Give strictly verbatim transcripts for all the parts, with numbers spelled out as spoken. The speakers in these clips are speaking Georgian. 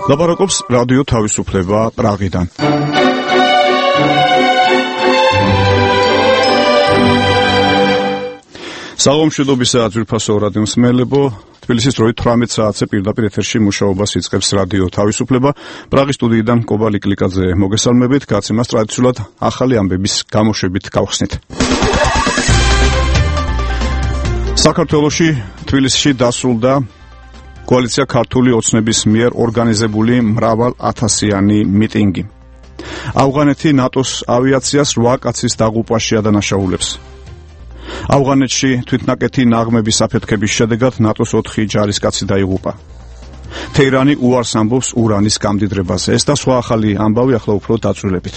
ლაპარაკობს რადიო თავისუფლება პრაღიდან. საღამოშიდობისა ძვირფასო რადიო მსმენელებო, თბილისის დროით თვრამეტ საათზე პირდაპირ ეთერში მუშაობას იწყებს რადიო თავისუფლება. პრაღის სტუდიიდან კობალი კლიკაძე მოგესალმებით, გაცემას ტრადიციულად ახალი ამბების გამოშვებით გავხსნით. საქართველოში თბილისში დასრულდა კოალიცია ქართული ოცნების მიერ ორგანიზებული მრავალ ათასიანი მიტინგი. ავღანეთი ნატოს ავიაციას რვა კაცის დაღუპვაში ადანაშაულებს. ავღანეთში თვითნაკეთი ნაღმების აფეთქების შედეგად ნატოს ოთხი ჯარისკაცი დაიღუპა. თეირანი უარს ამბობს ურანის გამდიდრებაზე. ეს და სხვა ახალი ამბავი ახლა უფრო დაწვრილებით.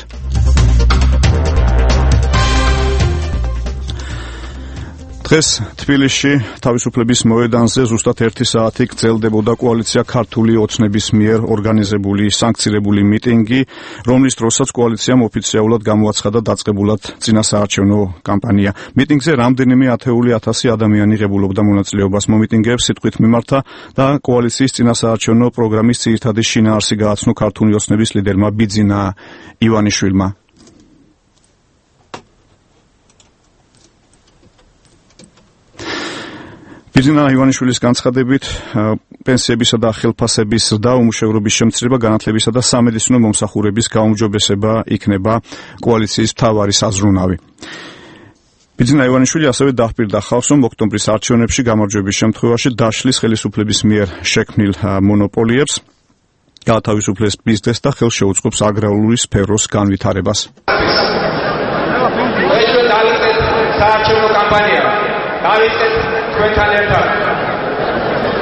დღეს თბილისში თავისუფლების მოედანზე ზუსტად ერთი საათი გრძელდებოდა კოალიცია ქართული ოცნების მიერ ორგანიზებული სანქცირებული მიტინგი, რომლის დროსაც კოალიციამ ოფიციალურად გამოაცხადა დაწყებულად წინასაარჩევნო კამპანია. მიტინგზე რამდენიმე ათეული ათასი ადამიანი ღებულობდა მონაწილეობას. მომიტინგეებს სიტყვით მიმართა და კოალიციის წინასაარჩევნო პროგრამის ძირითადი შინაარსი გააცნო ქართული ოცნების ლიდერმა ბიძინა ივანიშვილმა. ბიძინა ივანიშვილის განცხადებით, პენსიებისა და ხელფასების ზრდა, უმუშევრობის შემცირება, განათლებისა და სამედიცინო მომსახურების გაუმჯობესება იქნება კოალიციის მთავარი საზრუნავი. ბიძინა ივანიშვილი ასევე დაჰპირდა ხალხს, რომ ოქტომბრის არჩევნებში გამარჯვების შემთხვევაში დაშლის ხელისუფლების მიერ შექმნილ მონოპოლიებს გაათავისუფლეს ბიზნესს და ხელს შეუწყობს აგრარული სფეროს განვითარებას. საარჩევნო კამპანია დავიწყეთ ჩვენთან ერთად.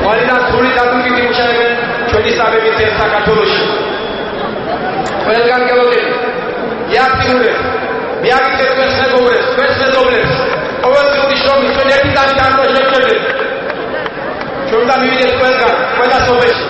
ყველგან სრული დაგუგიდი მუშაობენ ჩვენი სამების ერთ საქართველოში. ყველგან გელოდები, იაქტიურებს, მიაგიწეთ ჩვენს მეგობრებს, ჩვენს მეზობლებს, ყოველდღიური შრომით ჩვენ ერთად დამოუკიდებლად. ჩვენ დამივიდეთ ყველგან, ყველა სოფელში.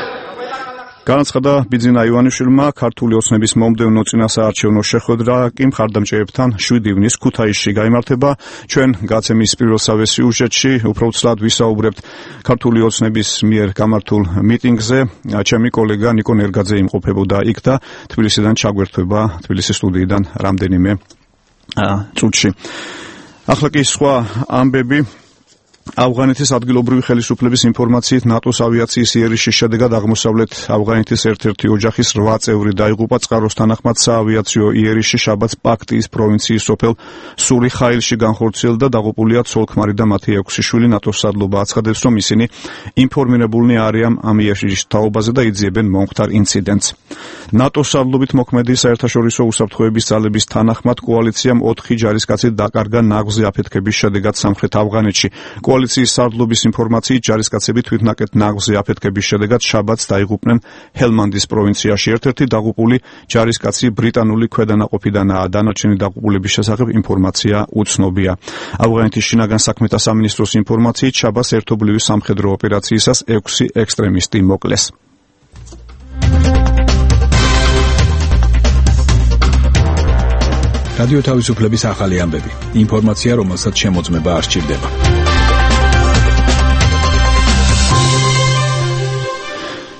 განაცხადა ბიძინა ივანიშვილმა, ქართული ოცნების მომდევნო წინასაარჩევნო შეხვედრა კი მხარდამჭერებთან შვიდი ივნის ქუთაისში გაიმართება. ჩვენ გაცემის პირველსავე სიუჟეტში უფრო ცლად ვისაუბრებთ ქართული ოცნების მიერ გამართულ მიტინგზე. ჩემი კოლეგა ნიკო ნერგაძე იმყოფებოდა იქ და თბილისიდან ჩაგვერთვება თბილისის სტუდიიდან რამდენიმე წუთში. ახლა კი სხვა ამბები. ავღანეთის ადგილობრივი ხელისუფლების ინფორმაციით ნატოს ავიაციის იერიშის შედეგად აღმოსავლეთ ავღანეთის ერთ-ერთი ოჯახის რვა წევრი დაიღუპა. წყაროს თანახმად საავიაციო იერიში შაბათს პაქტიის პროვინციის სოფელ სურიხაილში განხორციელდა. დაღუპულია ცოლ-ქმარი და მათი ექვსი შვილი. ნატოს სადლობა აცხადებს, რომ ისინი ინფორმირებულნი არიან ამ იერიშის თაობაზე და იძიებენ მომხდარ ინციდენტს. ნატოს სადლობით მოქმედი საერთაშორისო უსაფრთხოების ძალების თანახმად კოალიციამ ოთხი ჯარისკაცი დაკარგა ნაღმზე აფეთქების შედეგად სამხრეთ ავღანეთში. კოალიციის სარდლობის ინფორმაციით ჯარისკაცები თვითნაკეთ ნაღმზე აფეთქების შედეგად შაბათს დაიღუპნენ ჰელმანდის პროვინციაში. ერთ-ერთი დაღუპული ჯარისკაცი ბრიტანული ქვედანაყოფიდანაა. დანარჩენი დაღუპულების შესახებ ინფორმაცია უცნობია. ავღანეთის შინაგან საქმეთა სამინისტროს ინფორმაციით შაბათს ერთობლივი სამხედრო ოპერაციისას ექვსი ექსტრემისტი მოკლეს. რადიო თავისუფლების ახალი ამბები. ინფორმაცია, რომელსაც შემოწმება არ სჭირდება.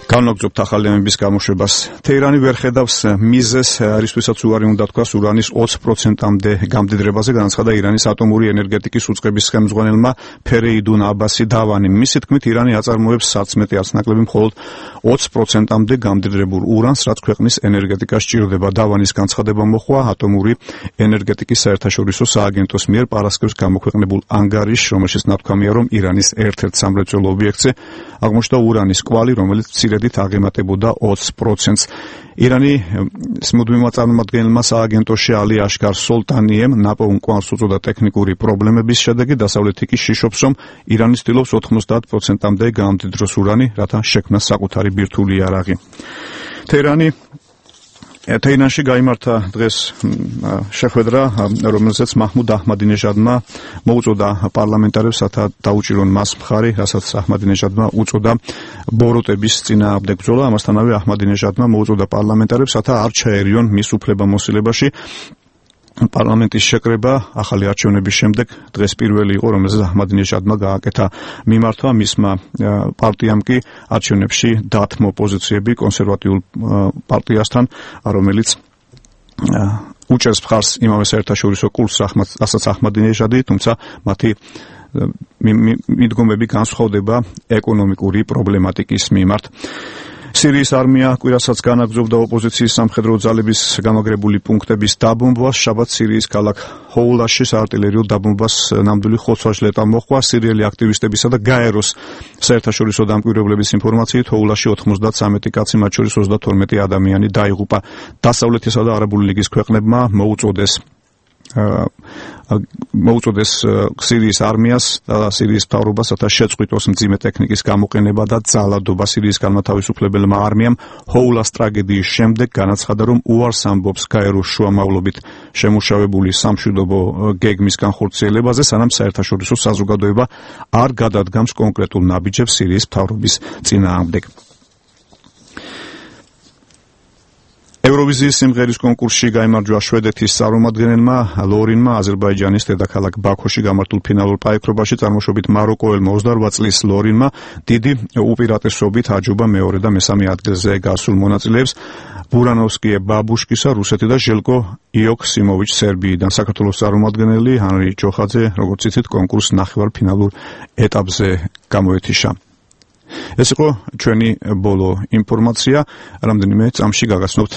განვაგრძობთ ახალი ამბების გამოშვებას. თეირანი ვერ ხედავს მიზეზს, რისთვისაც უარი უნდა თქვას ურანის ოცი პროცენტამდე გამდიდრებაზე, განაცხადა ირანის ატომური ენერგეტიკის უწყების ხელმძღვანელმა ფერეიდუნ აბასი დავანი. მისი თქმით, ირანი აწარმოებს სარწმეტი არც ნაკლები მხოლოდ ოცი პროცენტამდე გამდიდრებულ ურანს, რაც ქვეყნის ენერგეტიკას სჭირდება. დავანის განცხადება მოხდა ატომური ენერგეტიკის საერთაშორისო სააგენტოს მიერ პარასკევს გამოქვეყნებულ ანგარიშში, რომელშიც ნათქვამია, რომ ირანის ერთ-ერთ სამრეწველო ობიექტზე აღმოჩნდა ურანის კვალი, რომელიც მცირედით აღემატებოდა ოცი პროცენტს. ირანის მუდმივმა წარმომადგენელმა სააგენტოში ალი აშკარ სოლტანიემ ნაპოვნ კვალს უწოდა ტექნიკური პრობლემების შედეგი. დასავლეთი კი შიშობს, რომ ირანი ცდილობს ოთხმოცდაათ პროცენტამდე გაამდიდროს ურანი, რათა შექმნას საკუთარი ბირთვული იარაღი. თეირანი თეირანში გაიმართა დღეს შეხვედრა, რომელზეც მაჰმუდ აჰმადინეჟადმა მოუწოდა პარლამენტარებს, რათა დაუჭირონ მას მხარი, რასაც აჰმადინეჟადმა უწოდა ბოროტების წინააღმდეგ ბრძოლა. ამასთანავე აჰმადინეჟადმა მოუწოდა პარლამენტარებს, რათა არ ჩაერიონ მის უფლებამოსილებაში პარლამენტის შეკრება ახალი არჩევნების შემდეგ დღეს პირველი იყო, რომელზეც აჰმადინეჟადმა გააკეთა მიმართვა, მისმა პარტიამ კი არჩევნებში დათმო პოზიციები კონსერვატიულ პარტიასთან, რომელიც უჭერს მხარს იმავე საერთაშორისო კურსს, რასაც აჰმადინეჟადი, თუმცა მათი მიდგომები განსხვავდება ეკონომიკური პრობლემატიკის მიმართ. სირიის არმია კვირასაც განაგრძობდა ოპოზიციის სამხედრო ძალების გამაგრებული პუნქტების დაბომბვას. შაბათს სირიის ქალაქ ჰოულაში საარტილერიო დაბომბვას ნამდვილი ხოცვა-ჟლეტა მოჰყვა. სირიელი აქტივისტებისა და გაეროს საერთაშორისო დამკვირვებლების ინფორმაციით ჰოულაში ოთხმოცდათსამეტი კაცი, მათ შორის ოცდათორმეტი ადამიანი დაიღუპა. დასავლეთისა და არაბული ლიგის ქვეყნებმა მოუწოდეს მოუწოდეს სირიის არმიას და სირიის მთავრობას, რათა შეწყვიტოს მძიმე ტექნიკის გამოყენება და ძალადობა. სირიის განმათავისუფლებელმა არმიამ ჰოულას ტრაგედიის შემდეგ განაცხადა, რომ უარს ამბობს გაეროს შუამავლობით შემუშავებული სამშვიდობო გეგმის განხორციელებაზე, სანამ საერთაშორისო საზოგადოება არ გადადგამს კონკრეტულ ნაბიჯებს სირიის მთავრობის წინააღმდეგ. ევროვიზიის სიმღერის კონკურსში გაიმარჯვა შვედეთის წარმომადგენელმა ლორინმა აზერბაიჯანის დედაქალაქ ბაქოში გამართულ ფინალურ პაექრობაში წარმოშობით მაროკოელმა ოცდაორბა წლის ლორინმა დიდი უპირატესობით აჯობა მეორე და მესამე ადგილზე გასულ მონაწილეებს ბურანოვსკიე ბაბუშკისა რუსეთი და ჟელკო იოქსიმოვიჩ სერბიიდან. საქართველოს წარმომადგენელი ანრი ჯოხაძე, როგორც იცით, კონკურს ნახევარფინალურ ეტაპზე გამოეთიშა. ეს იყო ჩვენი ბოლო ინფორმაცია. რამდენიმე წამში გაგაცნობთ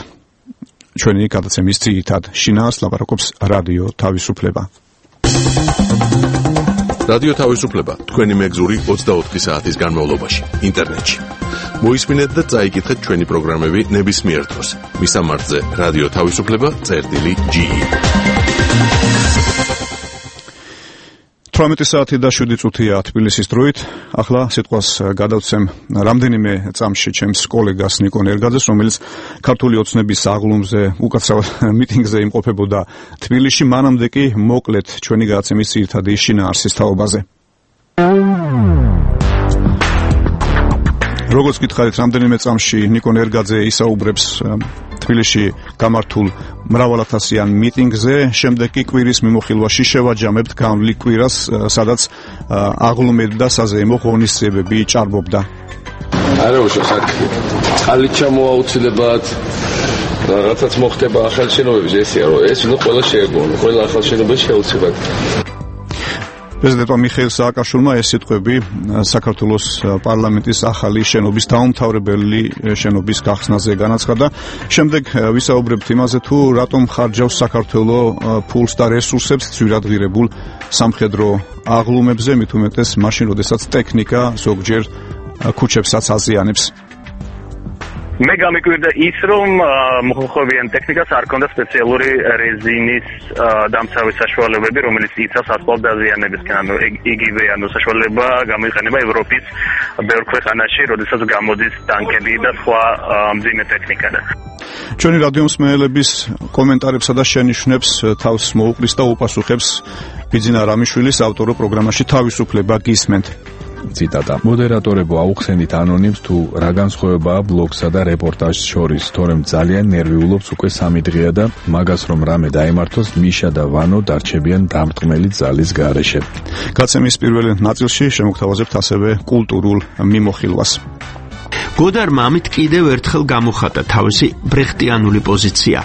ჩვენი გადაცემის ძირითად შინაარს, ლაპარაკობს რადიო თავისუფლება. რადიო თავისუფლება თქვენი მეგზური ოცდაოთხი საათის განმავლობაში ინტერნეტში. მოისმინეთ და წაიკითხეთ ჩვენი პროგრამები ნებისმიერ დროს. მისამართზე რადიო თავისუფლება წერტილი ჯი. თვრამეტი საათი და შვიდი წუთია თბილისის დროით. ახლა სიტყვას გადავცემ რამდენიმე წამში ჩემს კოლეგას ნიკო ნერგაძეს, რომელიც ქართული ოცნების აღლუმზე უკაცრავ მიტინგზე იმყოფებოდა თბილისში. მანამდე კი მოკლედ ჩვენი გადაცემის ძირითადი შინაარსის თაობაზე. როგორც გითხარით, რამდენიმე წამში ნიკო ნერგაძე ისაუბრებს თბილისში გამართულ მრავალათასიან მიტინგზე, შემდეგ კი კვირის მიმოხილვაში შევაჯამებთ განვლილ კვირას, სადაც აღლუმები და საზეიმო ღონისძიებები ჭარბობდა. არა უშოხარ წყალით ჩამოაუცილებად რაღაცაც მოხდება ახალ შენობებში, ესეა რომ ეს უნდა ყველა შეეგუონ, ყველა ახალ შენობაში შეუცებად. პრეზიდენტმა მიხეილ სააკაშვილმა ეს სიტყვები საქართველოს პარლამენტის ახალი შენობის დაუმთავრებელი შენობის გახსნაზე განაცხადა. შემდეგ ვისაუბრებთ იმაზე, თუ რატომ ხარჯავს საქართველო ფულს და რესურსებს ძვირადღირებულ სამხედრო აღლუმებზე, მით უმეტეს მაშინ, როდესაც ტექნიკა ზოგჯერ ქუჩებსაც აზიანებს. მე გამიკვირდა ის, რომ მოხმოვიან ტექნიკას არ ქონდა სპეციალური რეზინის დამცავი საშუალებები, რომელიც იცავს ასფალტ დაზიანებისკენ. ანუ იგივე ანუ საშუალება გამოიყენება ევროპის ბევრ ქვეყანაში, როდესაც გამოდის ტანკები და სხვა მძიმე ტექნიკა. ჩვენი რადიო მსმენელების კომენტარებსა და შენიშვნებს თავს მოუყრის და უპასუხებს ბიძინა რამიშვილის ავტორო პროგრამაში თავისუფლება გისმენთ. ციტატა. მოდერატორებო, აუხსენით ანონიმს, თუ რა განსხვავებაა ბლოგსა და რეპორტაჟს შორის, თორემ ძალიან ნერვიულობს უკვე სამი დღეა და მაგას რომ რამე დაემართოს, მიშა და ვანო დარჩებიან დამრტყმელი ძალის გარეშე. გაცემის პირველ ნაწილში შემოგთავაზებთ ასევე კულტურულ მიმოხილვას. გოდარმა ამით კიდევ ერთხელ გამოხატა თავისი ბრეხტიანული პოზიცია.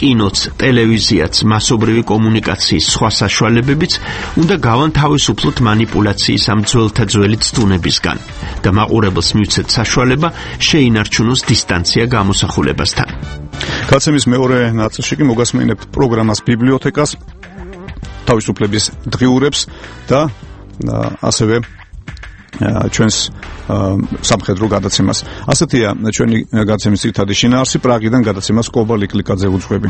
კინოც, ტელევიზიაც, მასობრივი კომუნიკაციის სხვა საშუალებებიც უნდა გავანთავისუფლოთ манипуляციის ამ ძველთა ძველი ცდუნებისგან და მაყურებელს მივცეთ საშუალება შეინარჩუნოს დისტანცია გამოსახულებასთან. გაცემის მეორე ნაწილში კი მოგასმენებთ პროგრამას ბიბლიოთეკას, თავისუფლების დღიურებს და ასევე ჩვენს სამხედრო გადაცემას. ასეთია ჩვენი გადაცემის ძირითადი შინაარსი. პრაღიდან გადაცემას კობა ლიკლიკაძე უძღვები.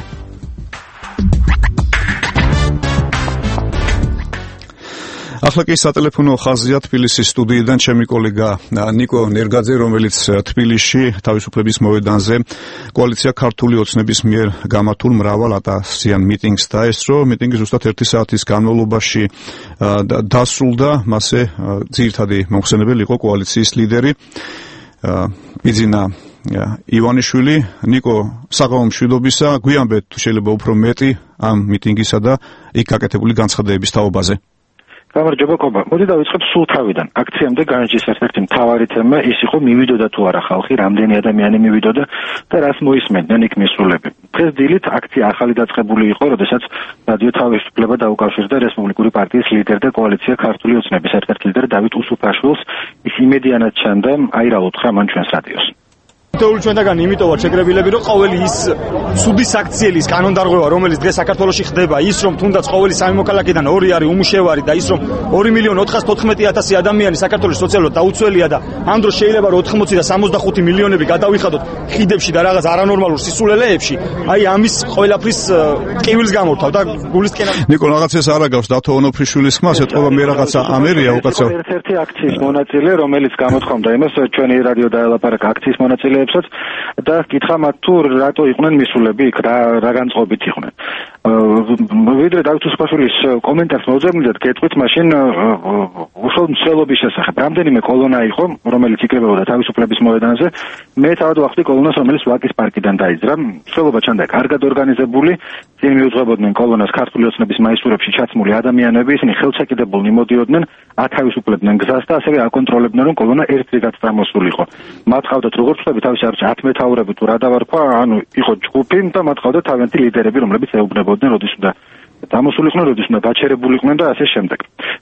ახლა კი სატელეფონო ხაზია თბილისის სტუდიიდან ჩემი კოლეგა ნიკო ნერგაძე, რომელიც თბილისში თავისუფლების მოედანზე კოალიცია ქართული ოცნების მიერ გამართულ მრავალათასიან მიტინგს დაესწრო. მიტინგი ზუსტად ერთი საათის განმავლობაში დასრულდა. მასზე ძირითადი მომხსენებელი იყო კოალიციის ლიდერი ბიძინა ივანიშვილი, ნიკო, საღამო მშვიდობისა, გვიანბეთ თუ შეიძლება უფრო მეტი ამ მიტინგისა და იქ გაკეთებული განცხადებების თაობაზე. გამარჯობა კობა. მოდი დავიწყებ სულ თავიდან. აქციამდე განჯის ერთ-ერთი მთავარი თემა ის იყო მივიდოდა თუ არა ხალხი, რამდენი ადამიანი მივიდოდა და რას მოისმენდნენ იქ მისულები. დღეს დილით აქცია ახალი დაწყებული იყო, როდესაც რადიო თავისუფლება დაუკავშირდა რესპუბლიკური პარტიის ლიდერ და კოალიცია ქართული ოცნების ერთ-ერთ ლიდერ დავით უსუფაშვილს. ის იმედიანად ჩანდა, აი რა უთხრა მან ჩვენს რადიოს. თეორიული ჩვენთაგან იმიტომ ვარ შეკრებილები, რომ ყოველი ის ცუდი საქციელის კანონდარღვევა, რომელიც დღეს საქართველოში ხდება, ის რომ თუნდაც ყოველი სამი მოქალაქიდან ორი არის უმუშევარი და ის რომ ორი მილიონი ოთხას თოთხმეტი ათასი ადამიანი საქართველოს სოციალურად დაუცველია და ამ დროს შეიძლება რომ ოთხმოცი და სამოცდახუთი მილიონები გადავიხადოთ ხიდებში და რაღაც არანორმალურ სისულელეებში, აი ამის ყველაფრის ტკივილს გამორთავ და გულისკენა. ნიკო, რაღაცას არ აგავს დათო ონოფრიშვილის ხმას, ეთქობა მე რაღაცა ამერია უკაცრავ. ერთ-ერთი აქციის მონაწილე, რომელიც გამოთქვამდა იმას, ჩვენი რადიო დაელაპარაკა აქციის მონაწილე და კითხა მათ თუ რატო იყვნენ მისულები იქ რა რა განწყობით იყვნენ. ვიდრე დავით უსუფაშვილის კომენტარს მოვძებნით გეტყვით მაშინ უშუალოდ მსვლელობის შესახებ. რამდენიმე კოლონა იყო, რომელიც იკრებოდა თავისუფლების მოედანზე. მე თავად ვახდი კოლონას, რომელიც ვაკის პარკიდან დაიძრა. მსვლელობა ჩანდა კარგად ორგანიზებული, წინ მიუძღვებოდნენ კოლონას ქართული ოცნების მაისურებში ჩაცმული ადამიანები, ისინი ხელშეკიდებულნი მოდიოდნენ, ათავისუფლებდნენ გზას და ასევე აკონტროლებდნენ, რომ კოლონა ერთ რიგად წამოსულიყო. მათ ყავდათ როგორც ვთქვი, თავის არჩ ათ მეთაურები თუ რა დავარქვა, ანუ იყო ჯგუფი და მათ ყავდათ თავიანთი ლიდერები, რომლებიც ეუბნებოდნენ, როდის უნდა წამოსულიყვნენ, როდის უნდა გაჩერებულიყვნენ და ასე შემდეგ.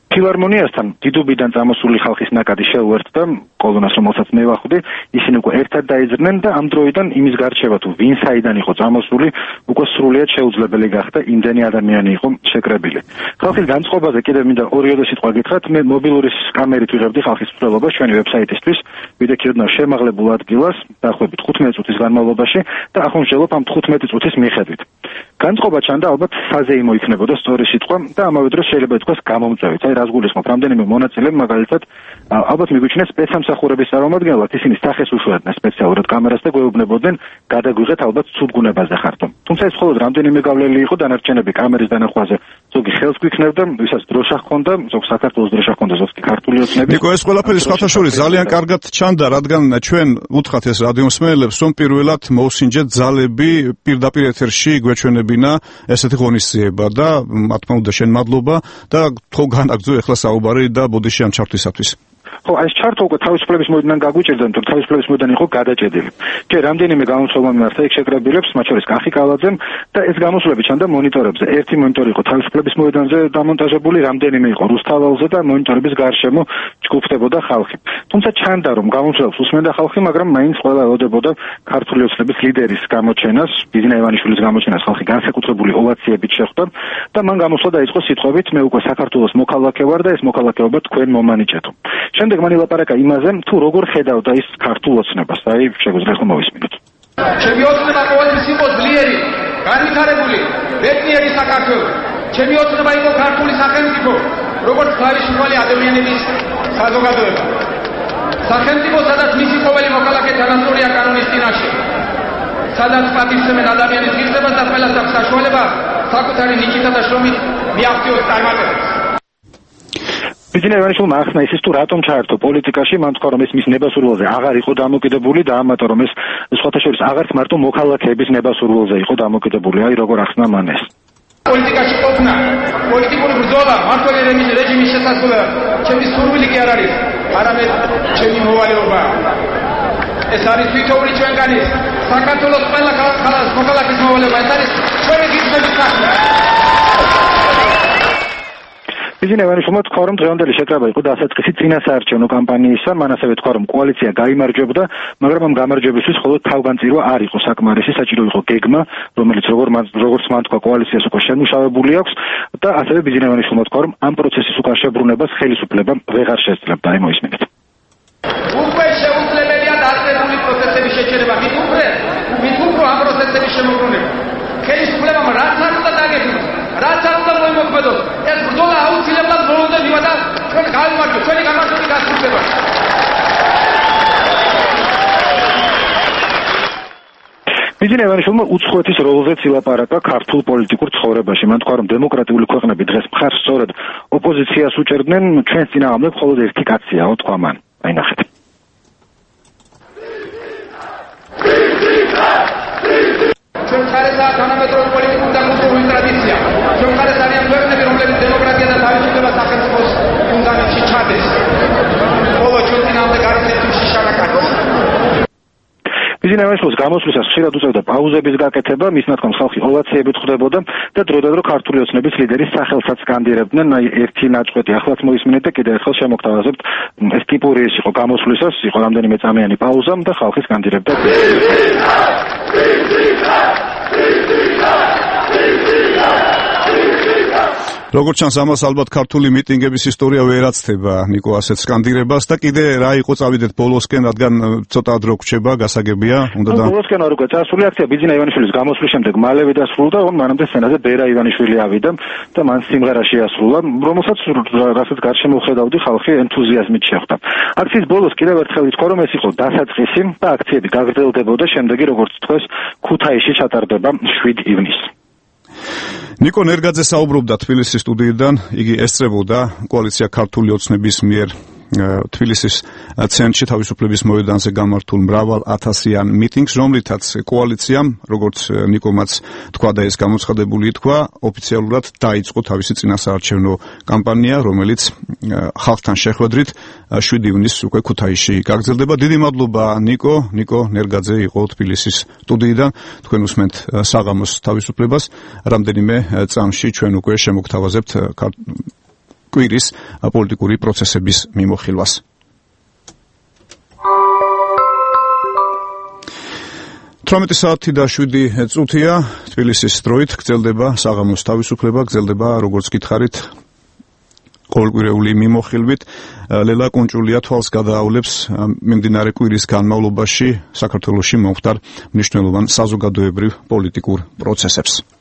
ფილარმონიასთან დიდუბიდან წამოსული ხალხის ნაკადი შეუერთდა კოლონას, რომელსაც მე ვახვდი, ისინი უკვე ერთად დაიძრნენ და ამ დროიდან იმის გარჩევა თუ ვინ საიდან იყო წამოსული, უკვე სრულიად შეუძლებელი გახდა, იმდენი ადამიანი იყო შეკრებილი. ხალხის განწყობაზე კიდევ მინდა ორიოდე სიტყვა გითხრათ, მე მობილურის კამერით ვიღებდი ხალხის მსვლელობას ჩვენი ვებსაიტისთვის, ვიდექიოდნავ შემაღლებულ ადგილას, დაახლოებით თხუთმეტი წუთის განმავლობაში და ახონჯელობ ამ თხუთმეტი წუთის მიხედვით. განწყობა ჩანდა ალბათ საზეიმო იქნებოდა სწორი სიტყვა და ამავე დროს შეიძლება ითქვას გამომწვევით. აი რას გულისხმობ, რამდენიმე მონაწილე მაგალითად ალბათ მიგვიჩნია სპეცსამსახურების წარმომადგენლად, ისინი სახეს უშუალდნენ სპეციალურად კამერას და გვეუბნებოდნენ გადაგვიღეთ ალბათ ცუდგუნებაზე ხართო. თუმცა ეს მხოლოდ რამდენიმე გავლილი იყო, დანარჩენები კამერის დანახვაზე ზოგი ხელს გვიქნებდა, ვისაც დროშა ჰქონდა, ზოგ საქართველოს დროშა ჰქონდა, ზოგ ქართული ოცნების. ნიკო, ეს ყველაფერი სხვათა შორის ძალიან კარგად ჩანდა, რადგან ჩვენ უთხრათ ეს რადიომსმენელებს, რომ პირველად მოусინჯეთ ძალები პირდაპირ ეთერში გვეჩვენებინა ესეთი ღონისძიება და მათ თქმა უნდა შენ მადლობა და თქო განაგძო ეხლა საუბარი და ბოდიში ამ ჩართვისათვის. ხო, ეს ჩარტო უკვე თავისუფლების მოედნიდან გაგვიჭირდა, თუ თავისუფლების მოედანი იყო გადაჭედილი. ჯერ რამდენიმე გამოსვლება მიმართა იქ შეკრებილებს, მათ შორის კახი კალაძემ და ეს გამოსვლები ჩანდა მონიტორებზე. ერთი მონიტორი იყო თავისუფლების მოედანზე დამონტაჟებული, რამდენიმე იყო რუსთაველზე და მონიტორების გარშემო ჯგუფდებოდა ხალხი. თუმცა ჩანდა, რომ გამოსვლებს უსმენდა ხალხი, მაგრამ მაინც ყველა ელოდებოდა ქართული ოცნების ლიდერის გამოჩენას, ბიძინა ივანიშვილის გამოჩენას ხალხი განსაკუთრებული ოვაციებით შეხვდა და მან გამოსვლა დაიწყო სიტყვებით, მე უკვე საქართველოს მოქალაქე ვარ და ეს მოქალაქეობა თქვენ მომანიჭეთო. შემდეგ მან ილაპარაკა იმაზე, თუ როგორ ხედავდა ის ქართულ ოცნებას. აი, შეგვიძლია ხომ მოვისმინოთ. ჩემი ოცნება ყოველთვის იყო ძლიერი, განვითარებული, ბედნიერი საქართველო. ჩემი ოცნება იყო ქართული სახელმწიფო, როგორც თავისუფალი ადამიანების საზოგადოება. სახელმწიფო, სადაც მისი ყოველი მოქალაქე თანასწორია კანონის წინაშე. სადაც პატივცემენ ადამიანის ღირსებას და ყველას აქვს საშუალება საკუთარი ნიჭითა და შრომით მიაღწიოს წარმატებას. ბიძინა ივანიშვილმა ახსნა ისიც თუ რატომ ჩაერთო პოლიტიკაში, მან თქვა რომ ეს მის ნებასურველზე აღარ იყო დამოკიდებული და ამიტომ რომ ეს სხვათა შორის აღარც მარტო მოქალაქეების ნებასურველზე იყო დამოკიდებული. აი როგორ ახსნა მან ეს. პოლიტიკაში ყოფნა, პოლიტიკური ბრძოლა მართალი რეჟიმის შესაძლებლად ჩემი სურვილი კი არ არის, არამედ ჩემი მოვალეობა. ეს არის თვითოული ჩვენგანის საქართველოს ყველა ხალხის მოქალაქის მოვალეობა, ეს არის ჩვენი გიჩვენის სახე. ბიძინა ივანიშვილმა თქვა, რომ დღევანდელი შეკრება იყო დასაწყისი წინასაარჩევნო კამპანიისა, მან ასევე თქვა, რომ კოალიცია გაიმარჯვებდა, მაგრამ ამ გამარჯვებისთვის მხოლოდ თავგანწირვა არ იყო საკმარისი, საჭირო იყო გეგმა, რომელიც როგორც მან თქვა, კოალიციას უკვე შემუშავებული აქვს და ასევე ბიძინა ივანიშვილმა თქვა, რომ ამ პროცესის უკან შებრუნებას ხელისუფლება ვეღარ შესძლებდა. აი მოისმინეთ. უკვე შეუძლებელია დაწყებული პროცესების შეჩერება, მით უფრო, მით უფრო ამ პროცესების შემოbrunება. ხელისუფლებამ რაც არ უნდა დაგეგმოს, რაც არ უნდა მოიმოქმედოს, ეს ბრძოლა აუცილებლად ბოლომდე მივა და ჩვენ გავიმარჯვებთ, ჩვენი გამარჯვება გასრულდება. ბიძინა ივანიშვილმა უცხოეთის როლზეც ილაპარაკა ქართულ პოლიტიკურ ცხოვრებაში. მან თქვა, რომ დემოკრატიული ქვეყნები დღეს მხარს სწორედ ოპოზიციას უჭერდნენ, ჩვენს წინააღმდეგ მხოლოდ ერთი კაციაო, თქვა მან. აი ნახეთ. ბიზნეს ევანიშვილის გამოსვლისას ხშირად უწევდა პაუზების გაკეთება, მის ნათქვამს ხალხი ოვაციებით ხვდებოდა და დროდადრო ქართული ოცნების ლიდერის სახელსაც სკანდირებდნენ. ერთი ნაწყვეტი ახლაც მოისმინეთ და კიდევ ერთხელ შემოგთავაზებთ, ეს ტიპური ის იყო გამოსვლისას, იყო რამდენიმე წამიანი პაუზა და ხალხი სკანდირებდა. როგორც ჩანს, ამას ალბათ ქართული მიტინგების ისტორია ვერ აცდება ნიკო ასეთ სკანდირებას და კიდე რა იყო წავიდეთ ბოლოსკენ, რადგან ცოტა დრო გრჩება, გასაგებია, უნდა და ბოლოსკენ არ უკვე წასული აქცია ბიძინა ივანიშვილის გამოსვლის შემდეგ მალევე დასრულდა, მანამდე სცენაზე ბერა ივანიშვილი ავიდა და მან სიმღერა შეასრულა, რომელსაც რასაც გარშემო ხედავდი, ხალხი ენთუზიაზმით შეხვდა. აქციის ბოლოს კიდევ ერთხელ ითქვა, რომ ეს იყო დასაწყისი და აქციები გაგრძელდებოდა, შემდეგი როგორც თქვეს, ქუთაისში ჩატარდება შვიდ ივნისს. ნიკო ნერგაძე საუბრობდა თბილისის სტუდიიდან, იგი ესწრებოდა კოალიცია ქართული ოცნების მიერ თბილისის ცენტრში თავისუფლების მოედანზე გამართულ მრავალ ათასიან მიტინგს, რომლითაც კოალიციამ, როგორც ნიკომაც თქვა და ეს გამოცხადებული ითქვა, ოფიციალურად დაიწყო თავისი წინასაარჩევნო კამპანია, რომელიც ხალხთან შეხვედრით შვიდ ივნისს უკვე ქუთაისში გაგრძელდება. დიდი მადლობა ნიკო, ნიკო ნერგაძე იყო თბილისის სტუდიიდან. თქვენ უსმენთ საღამოს თავისუფლებას. რამდენიმე წამში ჩვენ უკვე შემოგთავაზებთ კვირის პოლიტიკური პროცესების მიმოხილვას. თვრამეტი საათი და შვიდი წუთია თბილისის დროით გრძელდება საღამოს თავისუფლება, გრძელდება როგორც გითხარით ყოველკვირეული მიმოხილვით. ლელა კუნჭულია თვალს გადაავლებს მიმდინარე კვირის განმავლობაში საქართველოში მომხდარ მნიშვნელოვან საზოგადოებრივ პოლიტიკურ პროცესებს.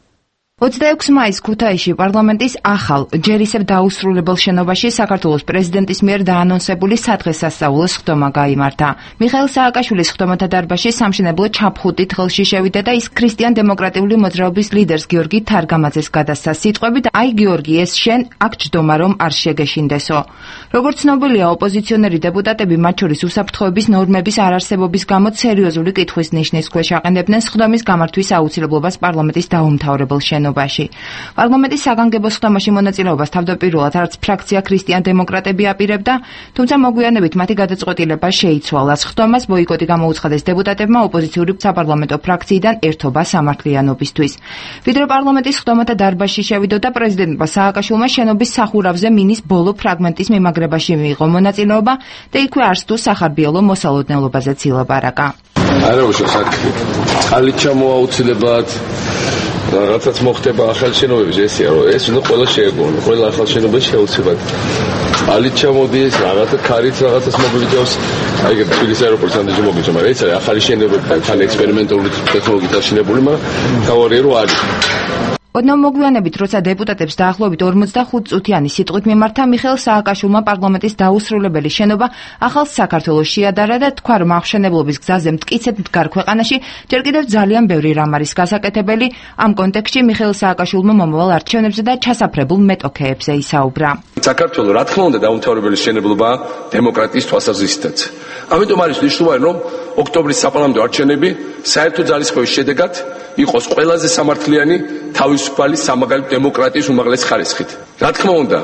ოცდაექვსი მაისს ქუთაისში პარლამენტის ახალ, ჯერ ისევ დაუსრულებელ შენობაში საქართველოს პრეზიდენტის მიერ დაანონსებული სადღესასწაულო სხდომა გაიმართა. მიხეილ სააკაშვილის სხდომათა დარბაზში სამშენებლო ჩაფხუტით ხელში შევიდა და ის ქრისტიან-დემოკრატიული მოძრაობის ლიდერს გიორგი თარგამაძეს გადასცა სიტყვებით: „აი გიორგი, ეს შენ აქ ჯდომა რომ არ შეგეშინდესო“. როგორც ცნობილია, ოპოზიციონერი დეპუტატები, მათ შორის უსაფრთხოების ნორმების არარსებობის გამო სერიოზული კითხვის ნიშნის ქვეშ აყენებდნენ სხდომის გამართვის აუცილებლობას პარლამენტის დაუმთავრებელ შენობაში. პარლამენტის საგანგებო სხდომაში მონაწილეობას თავდაპირველად არც ფრაქცია ქრისტიან-დემოკრატები აპირებდა, თუმცა მოგვიანებით მათი გადაწყვეტილება შეიცვალა. სხდომას ბოიკოტი გამოუცხადეს დეპუტატებმა ოპოზიციური საპარლამენტო ფრაქციიდან ერთობა სამართლიანობისთვის. ვიდრე პარლამენტის სხდომათა დარბაზში შევიდოდა, პრეზიდენტმა სააკაშვილმა შენობის სახურავზე მინის ბოლო ფრაგმენტის მიმაგრებაში მიიღო მონაწილეობა და იქვე არც თუ სახარბიელო მოსალოდნელობაზეც ილაპარაკა. არა უშავს აქ წყალი ჩამოაუცილებად რაღაცაც მოხდება ახალ შენობებში, ესეა რომ ეს უნდა ყველა შეეგონა, ყველა ახალ შენობაში შეუცვლად ალით ჩამოდის, რაღაცა ქარით რაღაცას მოგვიჯავს, აი ეგ თბილისის აეროპორტის ამდენში მოგვიჯავს, მაგრამ ეს არის ახალი შენობები, თან ექსპერიმენტული ტექნოლოგიით აშენებული, მაგრამ გავარია რომ არის. ოდნავ მოგვიანებით, როცა დეპუტატებს დაახლოებით ორმოცდახუთ წუთიანი სიტყვით მიმართა, მიხეილ სააკაშვილმა პარლამენტის დაუსრულებელი შენობა ახალ საქართველოს შეადარა და თქვა, რომ აღშენებლობის გზაზე მტკიცედ მდგარ ქვეყანაში ჯერ კიდევ ძალიან ბევრი რამ არის გასაკეთებელი. ამ კონტექსტში მიხეილ სააკაშვილმა მომავალ არჩევნებზე და ჩასაფრებულ მეტოქეებზე ისაუბრა. საქართველოს რა თქმა უნდა დაუმთავრებელი მშენებლობა დემოკრატიის თვალსაზრისითაც. ამიტომ არის მნიშვნელოვანი, რომ ოქტომბრის საპარლამენტო არჩევნები საერთო ძალისხმევის შედეგად იყოს ყველაზე სამართლიანი, თავისუფალი, სამაგალითო დემოკრატიის უმაღლესი ხარისხით. რა თქმა უნდა,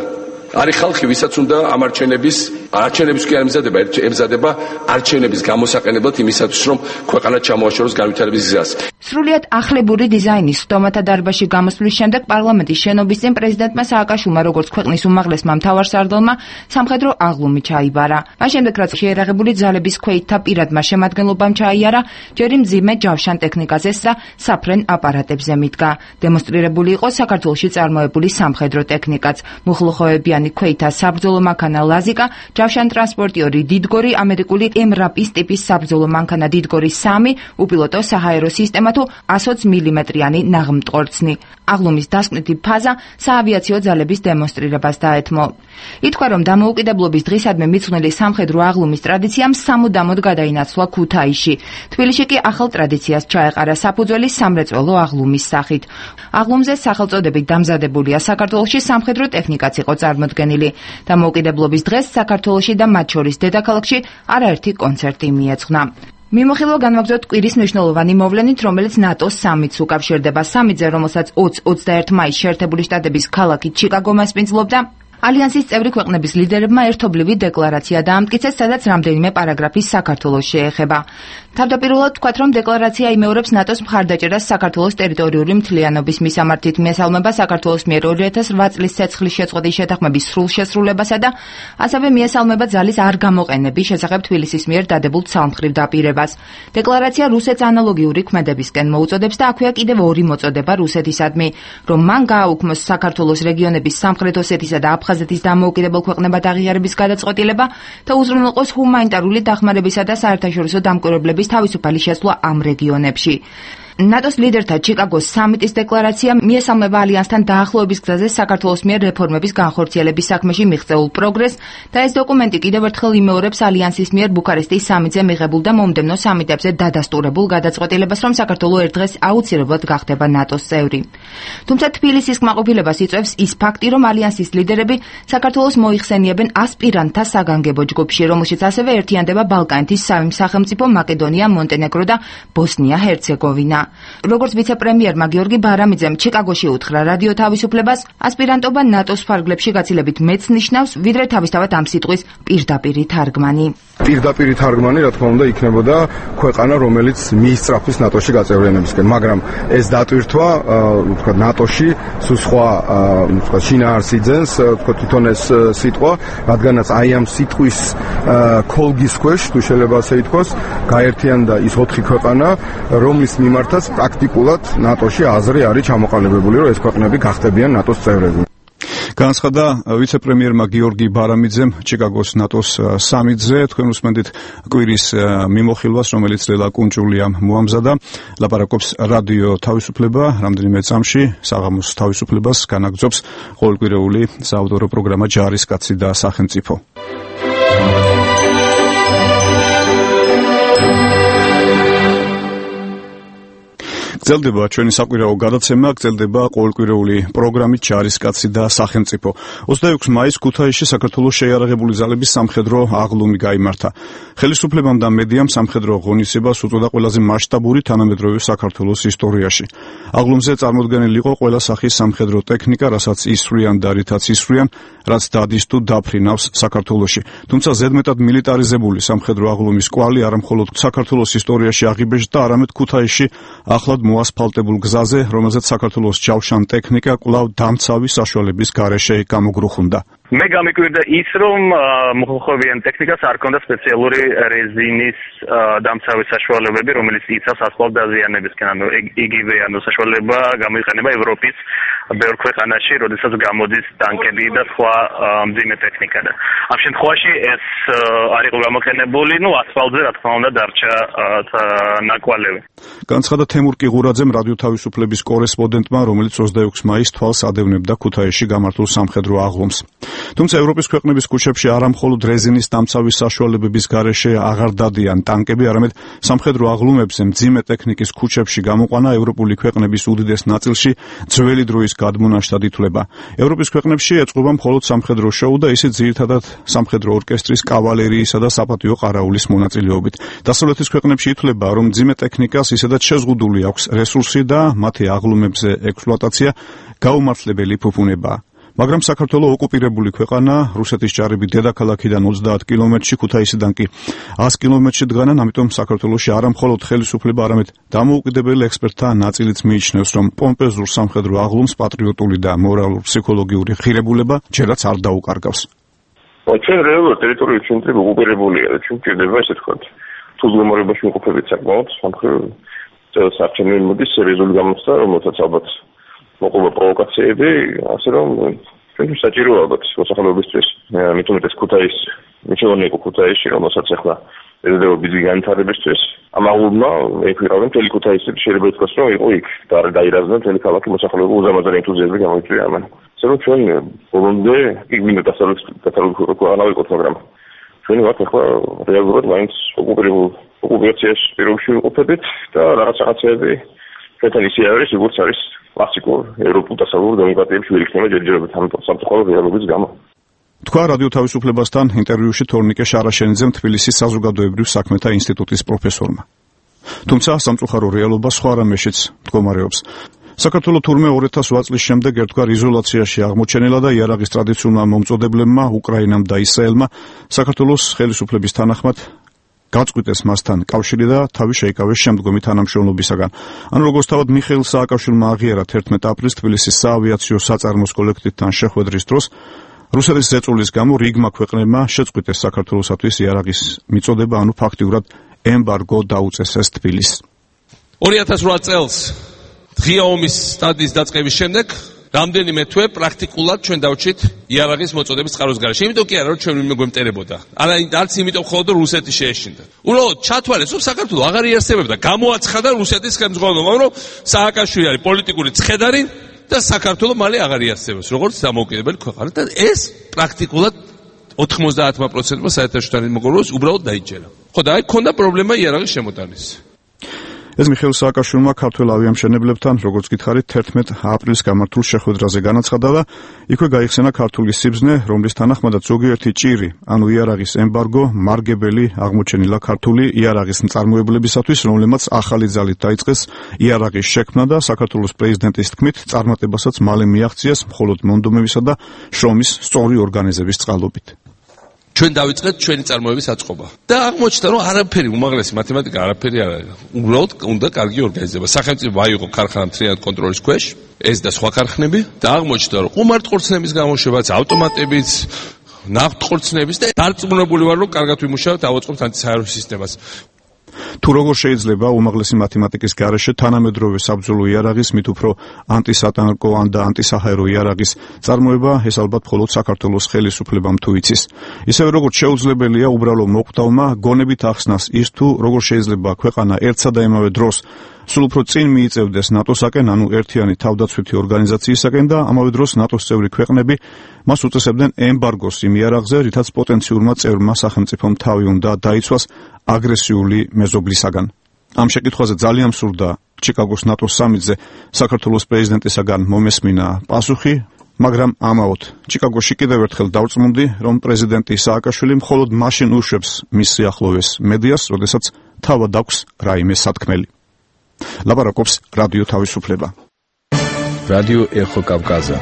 არის ხალხი, ვისაც უნდა ამ არჩევნების არჩევნების კი არ ემზადება, ემზადება არჩევნების გამოსაყენებლად იმისათვის, რომ ქვეყანა ჩამოაშოროს განვითარების გზას. სრულიად ახლებური დიზაინის სხდომათა დარბაზში გამოსვლის შემდეგ პარლამენტის შენობის წინ პრეზიდენტმა სააკაშვილმა, როგორც ქვეყნის უმაღლესმა მთავარსარდალმა, სამხედრო აღლუმი ჩაიბარა. მას შემდეგ, რაც შეერაღებული ძალების ქვეითთა პირადმა შემადგენლობამ ჩაიარა, ჯერი მძიმე ჯავშან ტექნიკაზე და საფრენ აპარატებზე მიდგა. დემონსტრირებული იყო საქართველოში წარმოებული სამხედრო ტექნიკაც, მუხლუხოებიანი ქვეითა საბრძოლო მანქანა ლაზიკა, ჯავშან ტრანსპორტიორი დიდგორი, ამერიკული ემრაპის ტიპის საბრძოლო მანქანა დიდგორი სამი, უპილოტო საჰაერო სისტემა თუ ათი მილიმეტრიანი ნაღმტყორცნი. აღლუმის დასკვნითი ფაზა საავიაციო ძალების დემონსტრირებას დაეთმო. ითქვა, რომ დამოუკიდებლობის დღისადმი მიძღვნილი სამხედრო აღლუმის ტრადიციამ სამუდამოდ გადაინაცვლა ქუთაისში. თბილისში კი ახალ ტრადიციას ჩაეყარა საფუძველი სამრეწველო აღლუმის სახით. აღლუმზე სახელწოდებით დამზადებულია საქართველოში სამხედრო ტექნიკაც იყო წარმოდგენილი. დამოუკიდებლობის დღეს საქართველოში და მათ შორის დედაქალაქში არაერთი კონცერტი მიეძღვნა. მიმოხილვა განვაგრძოთ კვირის მნიშვნელოვანი მოვლენით, რომელიც ნატოს სამიტს უკავშირდება. სამიტზე, რომელსაც ოცდაერთი მაისს შეერთებული შტატების ქალაქი ჩიკაგო მასპინძლობდა, ალიანსის წევრი ქვეყნების ლიდერებმა ერთობლივი დეკლარაცია დაამტკიცეს, სადაც რამდენიმე პარაგრაფი საქართველოს შეეხება. თავდაპირველად თქვათ, რომ დეკლარაცია იმეორებს ნატოს მხარდაჭერას საქართველოს ტერიტორიული მთლიანობის მისამართით, მიესალმება საქართველოს მიერ ორი ათას ოთხ წლის ცეცხლის შეწყვეტის შეთანხმების სრულ შესრულებასა და ასევე მიესალმება ძალის არ გამოყენების შესახებ თბილისის მიერ დადებულ ცალმხრივ დაპირებას. დეკლარაცია რუსეთს ანალოგიური ქმედებისკენ მოუწოდებს და აქვეა კიდევ ორი მოწოდება რუსეთისადმი, რომ მან გააუქმოს საქართველოს რეგიონების სამხრეთ ოსეთისა და აფხაზეთის დამოუკიდებელ ქვეყნებად აღიარების გადაწყვეტილება და უზრუნველყოს ჰუმანიტარული დახმარებისა და საერთაშორისო დამკვირვებლების თავისუფალი შესვლა ამ რეგიონებში. ნატოს ლიდერთა ჩიკაგოს სამიტის დეკლარაცია მიესალმება ალიანსთან დაახლოების გზაზე საქართველოს მიერ რეფორმების განხორციელების საქმეში მიღწეულ პროგრესს და ეს დოკუმენტი კიდევ ერთხელ იმეორებს ალიანსის მიერ ბუქარესტის სამიტზე მიღებულ და მომდევნო სამიტებზე დადასტურებულ გადაწყვეტილებას, რომ საქართველო ერთ დღეს აუცილებლად გახდება ნატოს წევრი. თუმცა თბილისის კმაყოფილებას იწვევს ის ფაქტი, რომ ალიანსის ლიდერები საქართველოს მოიხსენიებენ ასპირანტთა საგანგებო ჯგუფში, რომელშიც ასევე ერთიანდება ბალკანეთის სამი სახელმწიფო მაკედონია, მონტენეგრო და ბოსნია-ჰერცეგოვინა. როგორც ვიცე-პრემიერმა გიორგი ბარამიძემ ჩიკაგოში უთხრა რადიო თავისუფლებას, ასპირანტობა ნატოს ფარგლებში გაცილებით მეც ნიშნავს, ვიდრე თავისთავად ამ სიტყვის პირდაპირი თარგმანი. პირდაპირი თარგმანი, რა თქმა უნდა, იქნებოდა ქვეყანა, რომელიც მიისწრაფვის ნატოში გაწევრიანებისკენ, მაგრამ ეს დატვირთვა, ვთქვათ, ნატოში სულ სხვა, ვთქვათ, შინაარსიძენს, ვთქვათ, თვითონ ეს სიტყვა, რადგანაც აი ამ სიტყვის ქოლგის ქვეშ, თუ შეიძლება ასე ითქვას, გაერთიანდა ის ოთხი ქვეყანა, რომლის მიმართ პრაქტიკულად ნატოში აზრი არის ჩამოყალიბებული, რომ ეს ქვეყნები გახდებიან ნატოს წევრები. განაცხადა ვიცე-პრემიერმა გიორგი ბარამიძემ ჩიკაგოს ნატოს სამიტზე. თქვენ უსმენთ კვირის მიმოხილვას, რომელიც ლელა კუნჭულიამ მოამზადა. ლაპარაკობს რადიო თავისუფლება, რამდენიმე წამში საღამოს თავისუფლებას განაგრძობს ყოველკვირეული საავტორო პროგრამა ჯარისკაცი და სახელმწიფო. გრძელდება ჩვენი საკვირაო გადაცემა, გრძელდება ყოველკვირეული პროგრამით ჯარისკაცი და სახელმწიფო. ოცდაექვსი მაისს ქუთაისში საქართველოს შეიარაღებული ძალების სამხედრო აღლუმი გაიმართა. ხელისუფლებამ და მედიამ სამხედრო ღონისძიებას უწოდა ყველაზე მასშტაბური თანამედროვე საქართველოს ისტორიაში. აღლუმზე წარმოდგენილი იყო ყველა სახის სამხედრო ტექნიკა, რასაც ისვრიან და რითაც ისვრიან, რაც დადის თუ დაფრინავს საქართველოში. თუმცა ზედმეტად მილიტარიზებული სამხედრო აღლუმის კვალი არა მხოლოდ საქართველოს ისტორიაში აღიბეჭდა, არამედ ქუთაისში ახლად მოასფალტებულ გზაზე, რომელზეც საქართველოს ჯავშან ტექნიკა კვლავ დამცავი საშუალების გარეშე გამოგრუხუნდა. მე გამიკვირდა ის, რომ მოხალხებიან ტექნიკას არ ქონდა სპეციალური რეზინის დამცავი საშუალებები, რომელიც იცავს ასფალტ დაზიანებისკენ, ანუ იგივე ანუ საშუალება გამოიყენება ევროპის ბევრ ქვეყანაში, როდესაც გამოდის ტანკები და სხვა მძიმე ტექნიკა. და ამ შემთხვევაში ეს არ იყო გამოყენებული, ну ასფალტზე რა თქმა უნდა დარჩა ნაკვალევი. განაცხადა თემურ კიღურაძემ რადიო თავისუფლების კორესპონდენტმა, რომელიც ოცდაექვსი მაისს თვალს ადევნებდა ქუთაისში გამართულ სამხედრო აღლუმს. თუმცა ევროპის ქვეყნების ქუჩებში არა მხოლოდ რეზინის დამცავის საშუალებების გარეშე აღარ დადიან ტანკები, არამედ სამხედრო აღლუმებზე მძიმე ტექნიკის ქუჩებში გამოყვანა ევროპული ქვეყნების უდიდეს ნაწილში ძველი დროის გადმონაშთად ითვლება. ევროპის ქვეყნებში ეწყობა მხოლოდ სამხედრო შოუ და ისიც ძირითადად სამხედრო ორკესტრის, კავალერიისა და საპატიო ყარაულის მონაწილეობით. დასავლეთის ქვეყნებში ითვლება, რომ მძიმე ტექნიკას ისედაც შეზღუდული აქვს რესურსი და მათი აღლუმებზე ექსპლუატაცია გაუმართლებელი ფუფუნებაა. მაგრამ საქართველოს ოკუპირებული ქვეყანა, რუსეთის ჯარები დედაქალაქიდან ოცდაათ კილომეტრში, ქუთაისიდან კი ას კილომეტრში დგანან, ამიტომ საქართველოში არა მხოლოდ ხელისუფლება, არამედ დამოუკიდებელ ექსპერტთა ნაწილიც მიიჩნევს, რომ პომპეზურ სამხედრო აღლუმს პატრიოტული და მორალურ-ფსიქოლოგიური ღირებულება ჯერაც არ დაუკარგავს. ჩვენ რეალურად ტერიტორიული ცენტრი ოკუპირებულია, ჩვენ გვჭირდება ესე თქვა, თუ მდგომარეობაში ვიყოფებით საკმაოდ სამხედრო საერთაშორისო მოდის სერიოზული გამოცდა, რომელსაც ალბათ მოყვა პროვოკაციები, ასე რომ ჩვენ საჭიროა ალბათ მოსახლეობისთვის, მით უმეტეს ქუთაის, მიჩვენე იყო ქუთაისში, რომელსაც ახლა ეზრდება ბიძი განვითარებისთვის. ამ აღლუმმა ექვირავენ მთელი ქუთაისი, შეიძლება ითქვას, რომ იყო იქ და დაირაზნა მთელი ქალაქი მოსახლეობა უზარმაზარი ენთუზიაზმი გამოიწვია ამან. ასე რომ ჩვენ ბოლომდე იგმინო დასავლეთ ქვეყანა ვიყოთ, მაგრამ ჩვენი ვართ ახლა რეალურად მაინც ოკუპირებულ ოკუპაციაში პირობებში ვიყოფებით და რაღაც რაღაცები ჩვენთან ისე არის, როგორც არის კლასიკურ ევროპულ დასავლურ დემოკრატიებში ვირიქნება ჯერჯერობით ამ სამწუხარო რეალობის გამო. თქვა რადიო თავისუფლებასთან ინტერვიუში თორნიკე შარაშენიძემ თბილისის საზოგადოებრივ საქმეთა ინსტიტუტის პროფესორმა. თუმცა სამწუხარო რეალობა სხვა რამეშიც მდგომარეობს. საქართველოს თურმე ორი ათას ოთხ წლის შემდეგ ერთგვარ იზოლაციაში აღმოჩენილა და იარაღის ტრადიციულმა მომწოდებლებმა უკრაინამ და ისრაელმა საქართველოს ხელისუფლების თანახმად გაწყვიტეს მასთან კავშირი და თავი შეიკავეს შემდგომი თანამშრომლობისაგან. ანუ როგორც თავად მიხეილ სააკაშვილმა აღიარა თერთმეტ აპრილს თბილისის საავიაციო საწარმოს კოლექტივთან შეხვედრის დროს რუსეთის ზეწოლის გამო რიგმა ქვეყნებმა შეწყვიტეს საქართველოსათვის იარაღის მიწოდება, ანუ ფაქტიურად ემბარგო დაუწეს ეს თბილისს. ორი ათას ოთხ წელს ღია ომის სტადიის დაწყების შემდეგ რამდენიმე თვე პრაქტიკულად ჩვენ დავჭით იარაღის მოწოდების წყაროს გარეშე. იმიტომ კი არა რომ ჩვენ ვინმე გვემტერებოდა. არა, არც იმიტომ ხოლმე რომ რუსეთი შეეშინდა. უბრალოდ ჩათვალეს რომ საქართველოს აღარ იარსებებდა. გამოაცხადა რუსეთის ხელმძღვანელობა, რომ სააკაშვილი არის პოლიტიკური ცხედარი და საქართველოს მალე აღარ იარსებებს, როგორც დამოუკიდებელი ქვეყანა. და ეს პრაქტიკულად ოთხმოცდაათ პროცენტმა საერთაშორისო თანამეგობრობას უბრალოდ დაიჯერა. ხო და აი ქონდა პრობლემა იარაღის შემოტანის. ეს მიხეილ სააკაშვილმა ქართველ ავიამშენებლებთან, როგორც გითხარით, თერთმეტ აპრილს გამართულ შეხვედრაზე განაცხადა და იქვე გაიხსენა ქართული სიბრძნე, რომლის თანახმადაც ზოგიერთი ჭირი, ანუ იარაღის ემბარგო, მარგებელი აღმოჩენილა ქართული იარაღის მწარმოებლებისათვის, რომლებმაც ახალი ძალით დაიწყეს იარაღის შექმნა და საქართველოს პრეზიდენტის თქმით, წარმატებასაც მალე მიაღწიეს მხოლოდ მონდომებისა და შრომის სწორი ორგანიზების წყალობით. ჩვენ დავიწყეთ ჩვენი წარმოების აწყობა. და აღმოჩნდა, რომ არაფერი უმაღლესი მათემატიკა არაფერი არ არის. უბრალოდ უნდა კარგი ორგანიზება. სახელმწიფო აიღო ქარხანა მთლიანად კონტროლის ქვეშ, ეს და სხვა ქარხნები და აღმოჩნდა, რომ ყუმარტყორცნების გამოშვებაც, ავტომატებიც, ნავთყორცნების და დარწმუნებული ვარ, რომ კარგად ვიმუშავებთ, დავაწყობთ ანტისაერო სისტემას. თუ როგორ შეიძლება უმაღლესი მათემატიკის გარეშე თანამედროვე საბრძოლო იარაღის, მით უფრო ანტისატანკო და ანტისაჰაერო იარაღის წარმოება, ეს ალბათ მხოლოდ საქართველოს ხელისუფლებამ თუ იცის. ისევე როგორც შეუძლებელია უბრალო მოკვდავმა გონებით ახსნას ის თუ როგორ შეიძლება ქვეყანა ერთსა და იმავე დროს სულ უფრო წინ მიიწევდეს ნატოსაკენ, ანუ ერთიანი თავდაცვითი ორგანიზაციისაკენ და ამავე დროს ნატოს წევრი ქვეყნები მას უწესებდნენ ემბარგოს იმ იარაღზე, რითაც პოტენციურმა წევრმა სახელმწიფომ თავი უნდა დაიცვას აგრესიული მეზობლისაგან. ამ შეკითხვაზე ძალიან მსურდა ჩიკაგოს ნატოს სამიტზე საქართველოს პრეზიდენტისაგან მომესმინა პასუხი, მაგრამ ამაოდ ჩიკაგოში კიდევ ერთხელ დავწმუნდი, რომ პრეზიდენტი სააკაშვილი მხოლოდ მაშინ უშვებს მის სიახლოვეს მედიას, როდესაც თავად აქვს რაიმე სათქმელი. ლაპარაკობს რადიო თავისუფლება. რადიო ეხო კავკაზა.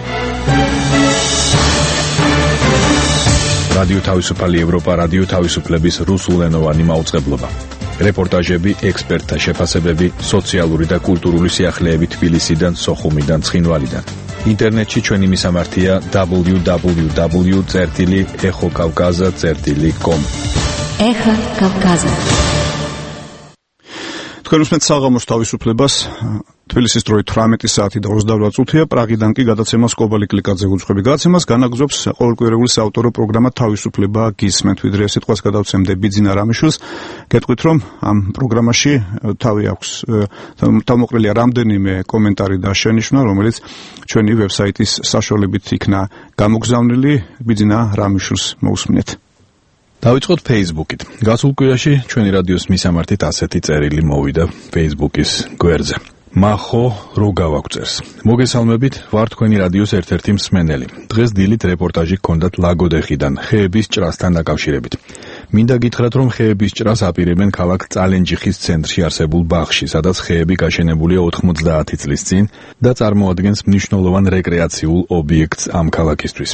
რადიო თავისუფალი ევროპა, რადიო თავისუფლების რუსულენოვანი მაუწყებლობა. რეპორტაჟები, ექსპერტთა შეფასებები, სოციალური და კულტურული სიახლეები თბილისიდან, სოხუმიდან, ცხინვალიდან. ინტერნეტში ჩვენი მისამართია დაბლიუ დაბლიუ დაბლიუ წერტილი ეხო კავკაზა წერტილი კომ. ეხო კავკაზა. თქვენ უსმენთ საღამოს თავისუფლებას. თბილისის დროით თვრამეტი საათი და ოცდაოთხ წუთია, პრაღიდან კი გადაცემა სკობალი კლიკაძე უძღვები. გადაცემას განაგზობს ყოველკვირეული საავტორო პროგრამა თავისუფლება გისმენთ. ვიდრე სიტყვას გადავცემდე ბიძინა რამიშვილს, გეტყვით რომ ამ პროგრამაში თავი აქვს თავმოყრილია რამდენიმე კომენტარი და შენიშვნა, რომელიც ჩვენი ვებსაიტის საშუალებით იქნა გამოგზავნილი. ბიძინა რამიშვილს მოусმინეთ. დავიწყოთ Facebook-ით. გასულ კვირაში ჩვენი რადიოს მისამართით ასეთი წერილი მოვიდა Facebook-ის გვერდზე. მახო რო გავაგწერს. მოგესალმებით, ვარ თქვენი რადიოს ერთ-ერთი მსმენელი. დღეს დილით რეპორტაჟი გქონდათ ლაგოდეხიდან, ხეების ჭრასთან დაკავშირებით. მინდა გითხრათ, რომ ხეების ჭრას აპირებენ ქალაქ წალენჯიხის ცენტრში არსებულ ბაღში, სადაც ხეები გაშენებულია ოთხმოცდაათი წლის წინ და წარმოადგენს მნიშვნელოვან რეკრეაციულ ობიექტს ამ ქალაქისთვის.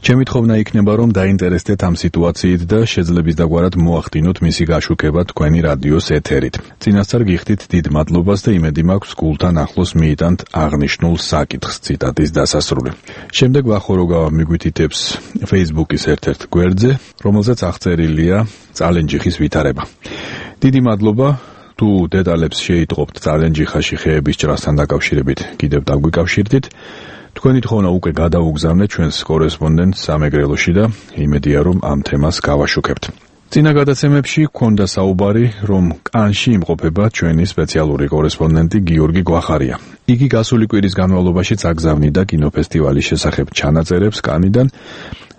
ჩემი თხოვნა იქნება, რომ დაინტერესდეთ ამ სიტუაციით და შეძლების დაგვარად მოახდინოთ მისი გაშუქება თქვენი რადიოს ეთერით. წინასწარ გიხდით დიდ მადლობას და იმედი მაქვს გულთან ახლოს მიიტანთ აღნიშნულ საკითხს. ციტატის დასასრული. შემდეგ ვახოროგავა მიგვითითებს Facebook-ის ერთ-ერთ გვერდზე, რომელზეც აღწერილია წალენჯიხის ვითარება. დიდი მადლობა, თუ დეტალებს შეიტყობთ წალენჯიხაში ხეების ჭრასთან დაკავშირებით, კიდევ დაგვიკავშირდით. თქვენი თხოვნა უკვე გადაუგზავნეთ ჩვენს კორესპონდენტს სამეგრელოში და იმედია, რომ ამ თემას გავაშუქებთ. წინა გადაცემებში გქონდა საუბარი, რომ კანში იმყოფება ჩვენი სპეციალური კორესპონდენტი გიორგი გვახარია. იგი გასული კვირის განმავლობაში აგზავნიდა კინოფესტივალის შესახებ ჩანაწერებს კანიდან,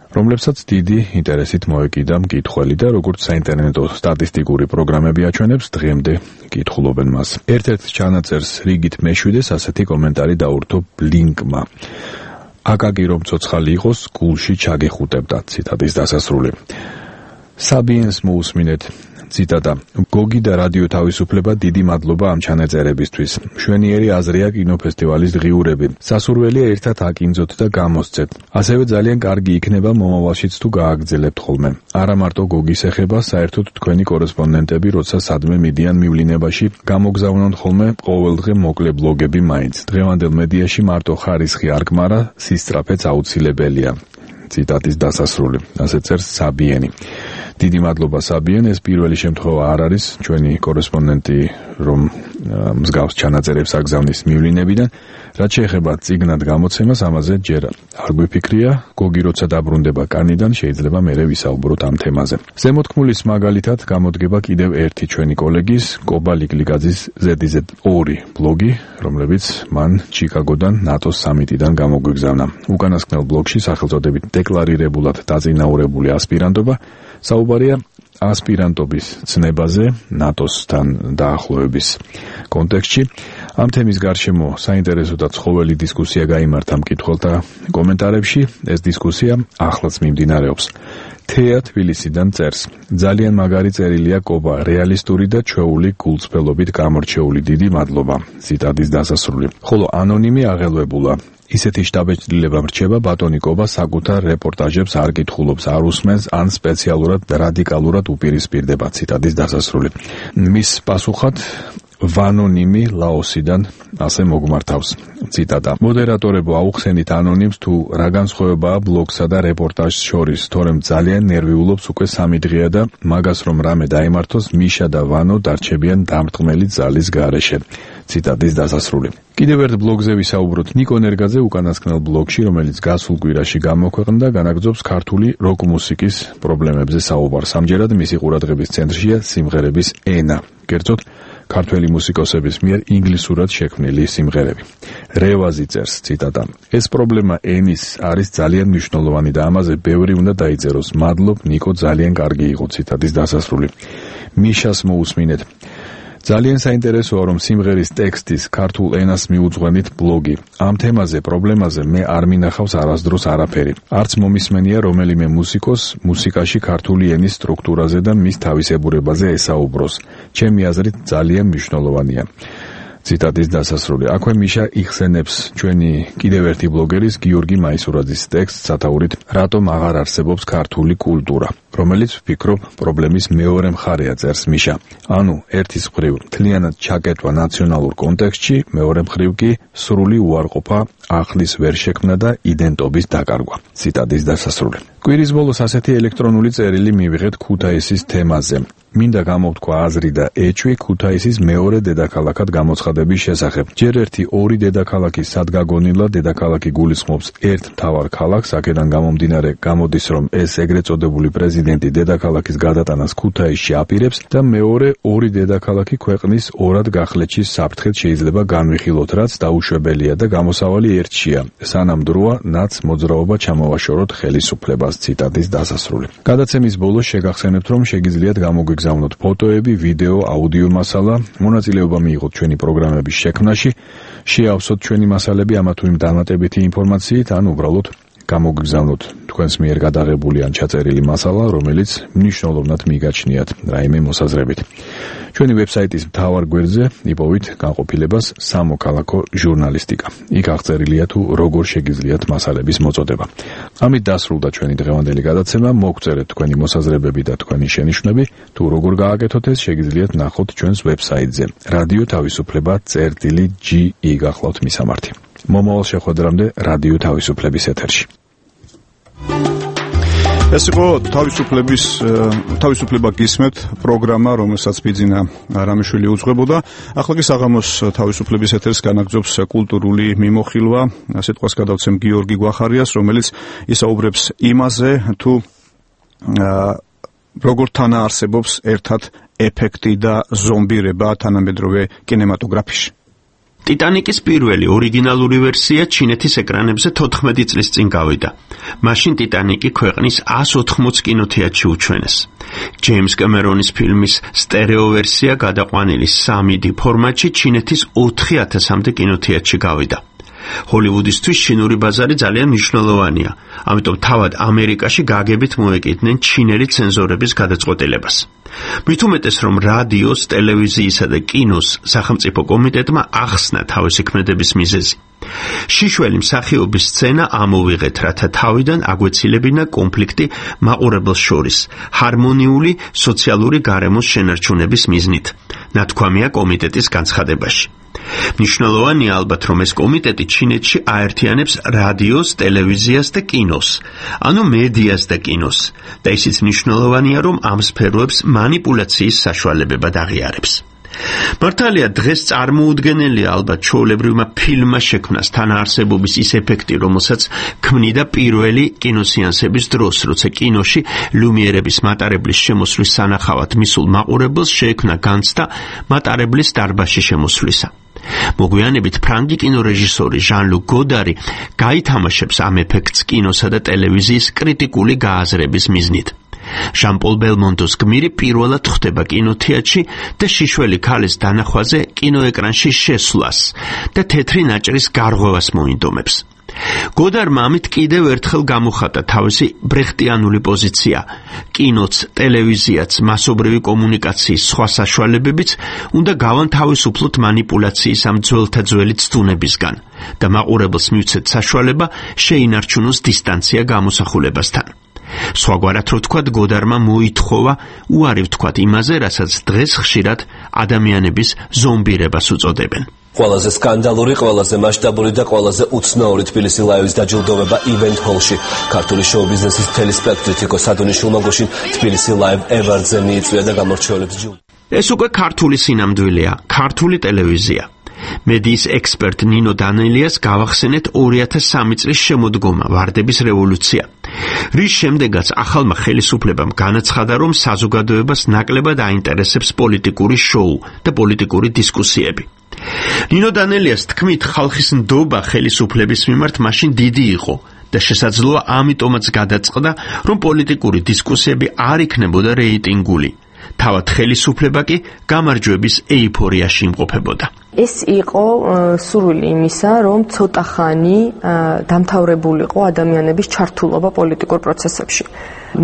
რომლებსაც დიდი ინტერესით მოეკიდა მკითხველი და როგორც საინტერნეტო სტატისტიკური პროგრამები აჩვენებს, დღემდე კითხულობენ მას. ერთ-ერთ ჩანაწერს რიგით მეშვიდეს ასეთი კომენტარი დაურთო ბლინკმა. აკაკი რომ ცოცხალი იყოს, გულში ჩაგეხუტებდა. ციტატის დასასრული. საბიენს მოусმინეთ. ციტატა. გოგი და რადიო თავისუფლება დიდი მადლობა ამ ჩანაწერებისთვის. მშვენიერი აზრია კინოფესტივალის ღიურები. სასურველია ერთად აკინძოთ და გამოსცეთ. ასევე ძალიან კარგი იქნება მომავალშიც თუ გააგრძელებთ ხოლმე. არა მარტო გოგის ეხება, საერთოდ თქვენი კორესპონდენტები, როცა სადმე მიდიან მივლინებაში, გამოგზავნონ ხოლმე ყოველდღე მოკლე ბლოგები მაინც. დღევანდელ მედიაში მარტო ხარისხი არ გმარა, სისწრაფეც აუცილებელია. ციტატის დასასრული. ასე წერს საბიენი. დიდი მადლობა საბიენ, ეს პირველი შემთხვევა არ არის ჩვენი კორესპონდენტი, რომ მსგავს ჩანაწერებს აგზავნის მივლინებიდან. რაც შეეხება წიგნად გამოცემას, ამაზე ჯერ არ გვიფიქრია, გოგი როცა დაბრუნდება კანიდან, შეიძლება მერე ვისაუბროთ ამ თემაზე. ზემოთქმულის მაგალითად გამოდგება კიდევ ერთი ჩვენი კოლეგის, კობა ლიკლიგაძის ზედიზ ორი ბლოგი, რომლებიც მან ჩიკაგოდან ნატოს სამიტიდან გამოგვიგზავნა. უკანასკნელ ბლოგში სახელწოდებით დეკლარირებულად დაწინაურებული ასპირანტობა საუბარია ასპირანტობის ცნებაზე ნატოსთან დაახლოების კონტექსტში. ამ თემის გარშემო საინტერესო და ცხოველი დისკუსია გაიმართა მკითხველთა კომენტარებში. ეს დისკუსია ახლაც მიმდინარეობს. თეა თბილისიდან წერს. ძალიან მაგარი წერილია კობა, რეალისტური და ჩვეული გულწრფელობით გამორჩეული. დიდი მადლობა. ციტატის დასასრული. ხოლო ანონიმი აღელვებულა. ისეთი შტაბეჭდილება მრჩება ბატონი კობა საკუთარ რეპორტაჟებს არ კითხულობს, არ უსმენს ან სპეციალურად რადიკალურად უპირისპირდება. ციტატის დასასრული. მის პასუხად ვანონიმი ლაოსიდან ასე მოგმართავს. ციტატა. მოდერატორებო აუხსენით ანონიმს თუ რა განსხვავებაა ბლოგსა და რეპორტაჟს შორის, თორემ ძალიან ნერვიულობს უკვე სამი დღეა და მაგას რომ რამე დაემართოს, მიშა და ვანო დარჩებიან დამრტყმელი ძალის გარეშე. ციტატის დასასრული. კიდევ ერთ ბლოგზე ვისაუბროთ ნიკო ნერგაძე უკანასკნელ ბლოგში, რომელიც გასულ კვირაში გამოქვეყნდა, განაგრძობს ქართული როკ მუსიკის პრობლემებზე საუბარს. ამჯერად მისი ყურადღების ცენტრშია სიმღერების ენა. კერძოდ, ქართველი მუსიკოსების მიერ ინგლისურად შექმნილი სიმღერები. რევაზი წერს, ციტატა. ეს პრობლემა ენის არის ძალიან მნიშვნელოვანი და ამაზე ბევრი უნდა დაიწეროს. მადლობ ნიკო, ძალიან კარგი იყო. ციტატის დასასრული. მიშას მოусმინეთ. ძალიან საინტერესოა, რომ სიმღერის ტექსტის ქართულ ენას მიუძღვენით ბლოგი. ამ თემაზე, პრობლემაზე მე არ მინახავს არასდროს არაფერი. არც მომისმენია რომელიმე მუსიკოს მუსიკაში ქართული ენის სტრუქტურაზე და მის თავისებურებაზე ესაუბროს. ჩემი აზრით ძალიან მნიშვნელოვანია. ციტატის დასასრული. აქვე მიშა იხსენებს ჩვენი კიდევ ერთი ბლოგერის გიორგი მაისურაძის ტექსტს სათაურით რატომ აღარ არსებობს ქართული კულტურა, რომელიც ვფიქრობ პრობლემის მეორე მხარეა, წერს მიშა. ანუ ერთის მხრივ მთლიანად ჩაკეტვა ნაციონალურ კონტექსტში, მეორე მხრივ კი სრული უარყოფა, ახლის ვერ შექმნა და იდენტობის დაკარგვა. ციტატის დასასრული. კვირის ბოლოს ასეთი ელექტრონული წერილი მივიღეთ ქუთაისის თემაზე. მინდა გამოვთქვა აზრი და ეჭვი ქუთაისის მეორე დედაქალაქად გამოცხადების შესახებ. ჯერ ერთი ორი დედაქალაქი სადგაგონილა დედაქალაქი გულისხმობს ერთ მთავარ ქალაქს, აქედან გამომდინარე გამოდის, რომ ეს ეგრეთ წოდებული პრეზიდენტი დედაქალაქის გადატანას ქუთაისში აპირებს და მეორე ორი დედაქალაქი ქვეყნის ორად გახლეჩის საფრთხეთ შეიძლება განვიხილოთ, რაც დაუშვებელია და გამოსავალი ერთშია. სანამ დროა ნაც მოძრაობა ჩამოვაშოროთ ხელისუფლებას. ციტატის დასასრული. გადაცემის ბოლოს შეგახსენებთ, რომ შეგიძლიათ გამოგიგზავნოთ ფოტოები, ვიდეო, აუდიო მასალა, მონაწილეობა მიიღოთ ჩვენი პროგრამების შექმნაში, შეავსოთ ჩვენი მასალები ამა თუ იმ დამატებითი ინფორმაციით, ან უბრალოდ გამოგიგზავნოთ თქვენს მიერ გადაღებული ან ჩაწერილი მასალა, რომელიც მნიშვნელოვნად მიგაჩნიათ რაიმე მოსაზრებით. ჩვენი ვებსაიტის მთავარ გვერდზე იპოვით განყოფილებას სამოქალაქო ჟურნალისტიკა. იქ აღწერილია თუ როგორ შეგიძლიათ მასალების მოწოდება. ამით დასრულდა ჩვენი დღევანდელი გადაცემა. მოგწერეთ თქვენი მოსაზრებები და თქვენი შენიშვნები. თუ როგორ გააკეთოთ ეს, შეგიძლიათ ნახოთ ჩვენს ვებსაიტზე. რადიო თავისუფლება წერტილი ჯი ი გახლავთ მისამართი. მომავალ შეხვედრამდე რადიო თავისუფლების ეთერში. ეს იყო თავისუფლების თავისუფლება გისმენთ პროგრამა, რომელსაც ბიძინა რამიშვილი უძღვებოდა. ახლა კი საღამოს თავისუფლების ეთერს განაგრძობს კულტურული მიმოხილვა. სიტყვას გადავცემ გიორგი გვახარიას, რომელიც ისაუბრებს იმაზე, თუ როგორ თანაარსებობს ერთად ეფექტი და ზომბირება თანამედროვე კინემატოგრაფიაში. ტიტანიკის პირველი ორიგინალური ვერსია ჩინეთის ეკრანებზე თოთხმეტი წლის წინ გავიდა. მაშინ ტიტანიკი ქვეყნის ას ოთხმოც კინოთეატრში უჩვენეს. ჯეიმს კემერონის ფილმის სტერეო ვერსია გადაყვანილი სამი დი ფორმატში ჩინეთის ოთხი ათასამდე კინოთეატრში გავიდა. ჰოლივუდისთვის ჩინური ბაზარი ძალიან მნიშვნელოვანია, ამიტომ თავად ამერიკაში გაგებით მოეკიდნენ ჩინელი ცენზორების გადაწყვეტილებას. მით უმეტეს, რომ რადიოს, ტელევიზიისა და კინოს სახელმწიფო კომიტეტმა ახსნა თავისი ქმედების მიზეზი. შიშველი მსახიობის სცენა ამოვიღეთ, რათა თავიდან აგვეცილებინა კონფლიქტი მაყურებელს შორის, ჰარმონიული სოციალური გარემოს შენარჩუნების მიზნით, ნათქვამია კომიტეტის განცხადებაში. მნიშვნელოვანია ალბათ, რომ ეს კომიტეტი ჩინეთში აერთიანებს რადიოს, ტელევიზიას და კინოს, ანუ მედიას და კინოს, და ისიც მნიშვნელოვანია, რომ ამ სფეროებს მანიპულაციის საშუალებებად აღიარებს. მართალია, დღეს წარმოუდგენელია ალბათ ჩვეულებრივმა ფილმმა შექმნას თანაარსებობის ის ეფექტი, რომელსაც ქმნიდა პირველი კინოსეანსების დროს, როცა კინოში ლუმიერების მატარებლის შემოსვლის სანახავად მისულ მაყურებელს შეექმნა განცდა მატარებლის დარბაზში შემოსვლისა. მოგვიანებით ფრანგი კინორეჟისორი ჟან-ლუკ გოდარი გაითამაშებს ამ ეფექტს კინოსა და ტელევიზიის კრიტიკული გააზრების მიზნით. ჟან-პოლ ბელმონტოს გმირი პირველად ხვდება კინოთეატრში და შიშველი ქალის დანახვაზე კინოეკრანში შესვლას და თეთრი ნაჭრის გარღვევას მოინდომებს. გოდარმა ამით კიდევ ერთხელ გამოხატა თავისი ბრეხტიანული პოზიცია. კინოც, ტელევიზიაც, მასობრივი კომუნიკაციის სხვა საშუალებებიც უნდა გავანთავისუფლოთ მანიპულაციის ამ ძველთა ძველი ცდუნებისგან და მაყურებელს მივცეთ საშუალება შეინარჩუნოს დისტანცია გამოსახულებასთან. სხვაგვარად რო ვთქვათ, გოდარმა მოითხოვა უარი ვთქვათ იმაზე, რასაც დღეს ხშირად ადამიანების ზომბირებას უწოდებენ. ყველაზე სკანდალური, ყველაზე მასშტაბური და ყველაზე უცნაური თბილისი ლაივის დაჯილდოვება ივენთ ჰოლში. ქართული შოუ-ბიზნესის მთელი სპექტრით იყო სადონიშვილმა გუშინ თბილისი ლაივ ევარდზე მიიწვია და გამორჩეულებს ჯილდო. ეს უკვე ქართული სინამდვილეა, ქართული ტელევიზია. მედიის ექსპერტ ნინო დანელიას გავახსენეთ ორი ათას სამი წლის შემოდგომა, ვარდების რევოლუცია, რის შემდეგაც ახალმა ხელისუფლებამ განაცხადა, რომ საზოგადოებას ნაკლებად აინტერესებს პოლიტიკური შოუ და პოლიტიკური დისკუსიები. ნინო დანელიას თქმით, ხალხის ნდობა ხელისუფლების მიმართ მაშინ დიდი იყო და შესაძლოა ამიტომაც გადაწყდა, რომ პოლიტიკური დისკუსიები არ იქნებოდა რეიტინგული. თავად ხელისუფლება კი გამარჯვების ეიფორიაში იმყოფებოდა. ეს იყო სურვილი იმისა, რომ ცოტა ხანი დამთავრებულიყო ადამიანების ჩართულობა პოლიტიკურ პროცესებში.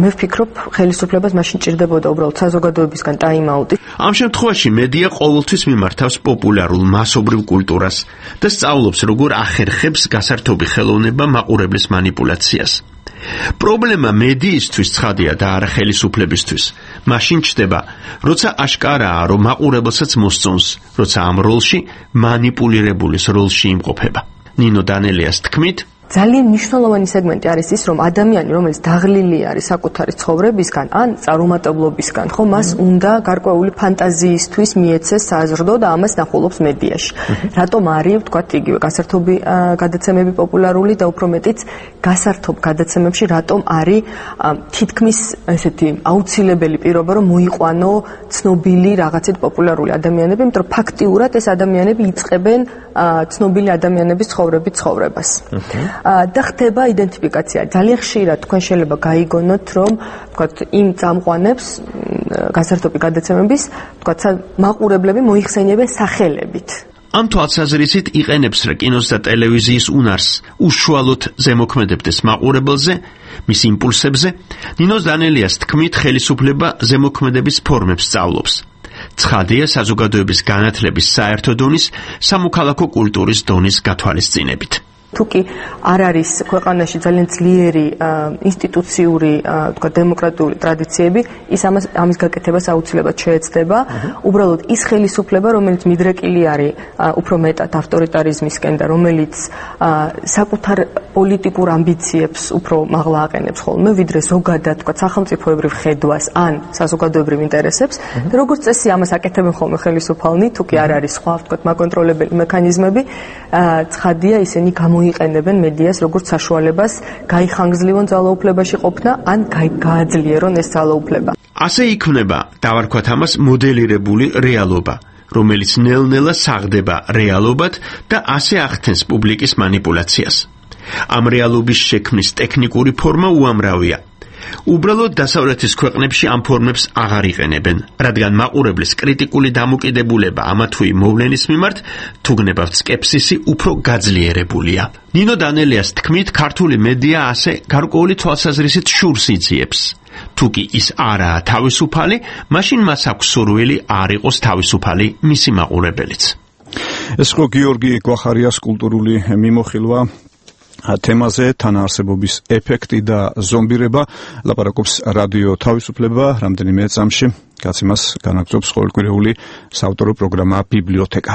მე ვფიქრობ, ხელისუფლებას მაშინ ჭირდებოდა უბრალოდ საზოგადოებისგან ტაიმაუტი. ამ შემთხვევაში მედია ყოველთვის მიმართავს პოპულარულ მასობრივ კულტურას და სწავლობს, როგორ ახერხებს გასართობი ხელოვნება მაყურებლის მანიპულაციას. პრობლემა მედიისთვის ცხადია და არა ხელისუფლებისთვის. მაშინ ჩდება, როცა აშკარაა, რომ მაყურებელსაც მოსწონს, როცა ამ როლში მანიპულირებულის როლში იმყოფება. ნინო დანელიას თქმით, ძალიან მნიშვნელოვანი სეგმენტი არის ის, რომ ადამიანი, რომელიც დაღლილი არის საკუთარი ცხოვრებისგან ან წარუმატებლობისგან, ხო, მას უნდა გარკვეული ფანტაზიისთვის მიეცეს საზრდო და ამას ნახულობს მედიაში. რატომ არის, ვთქვათ, იგივე გასართობი გადაცემები პოპულარული და უფრო მეტიც გასართობ გადაცემებში რატომ არის თითქმის ესეთი აუცილებელი პირობა, რომ მოიყვანო ცნობილი რაღაცით პოპულარული ადამიანები, იმიტომ რომ ფაქტიურად ეს ადამიანები იწყებენ ცნობილი ადამიანების ცხოვრების ცხოვრებას. და ხდება იდენტიფიკაცია. ძალიან ხშირად თქვენ შეიძლება გაიგონოთ, რომ თქვათ იმ წამყვანებს გასართობი გადაცემების, თქვათ მაყურებლები მოიხსენიებენ სახელებით. ამ თვალსაზრისით იყენებს რა კინოს და ტელევიზიის უნარს უშუალოდ ზემოქმედებდეს მაყურებელზე, მის იმპულსებზე. ნინო დანელიას თქმით, ხელისუფლება ზემოქმედების ფორმებს სწავლობს. ცხადია, საზოგადოების განათლების საერთო დონის, სამოქალაქო კულტურის დონის გათვალისწინებით. თუკი არ არის ქვეყანაში ძალიან ძლიერი ინსტიტუციური, თქვა დემოკრატიული ტრადიციები, ის ამას ამის გაკეთებას აუცილებლად შეეცდება. უბრალოდ ის ხელისუფლება, რომელიც მიდრეკილი არის უფრო მეტად ავტორიტარიზმისკენ და რომელიც საკუთარ პოლიტიკურ ამბიციებს უფრო მაღლა აყენებს ხოლმე, ვიდრე ზოგადად, თქვა სახელმწიფოებრივ ხედვას ან საზოგადოებრივ ინტერესებს, და როგორც წესი ამას აკეთებენ ხოლმე ხელისუფალნი, თუკი არ არის სხვა, თქვა მაკონტროლებელი მექანიზმები, ცხადია ისინი გამო იყენებენ მედიას როგორც საშუალებას გაიხანგრძლივონ ძალაუფლებაში ყოფნა ან გააძლიერონ ეს ძალაუფლება. ასე იქმნება, დავარქვათ ამას, მოდელირებული რეალობა, რომელიც ნელ-ნელა საღდება რეალობად და ასე ახდენს პუბლიკის მანიპულაციას. ამ რეალობის შექმნის ტექნიკური ფორმა უამრავია. უბრალოდ დასავლეთის ქვეყნებში ამ ფორმებს აღარ იყენებენ, რადგან მაყურებლის კრიტიკული დამოკიდებულება ამა თუ იმ მოვლენის მიმართ, თუ გნებავთ სკეპსისი, უფრო გაძლიერებულია. ნინო დანელიას თქმით, ქართული მედია ასე გარკვეული თვალსაზრისით შურს იძიებს. თუ კი ის არაა თავისუფალი, მაშინ მას აქვს სურვილი არ იყოს თავისუფალი მისი მაყურებელიც. ეს ხო გიორგი გვახარიას კულტურული მიმოხილვა თემაზე თანაარსებობის ეფექტი და ზომბირება ლაპარაკობს რადიო თავისუფლება რამდენიმე წამში გაცემას განაგრძობს ყოველკვირეული საავტორო პროგრამა ბიბლიოთეკა.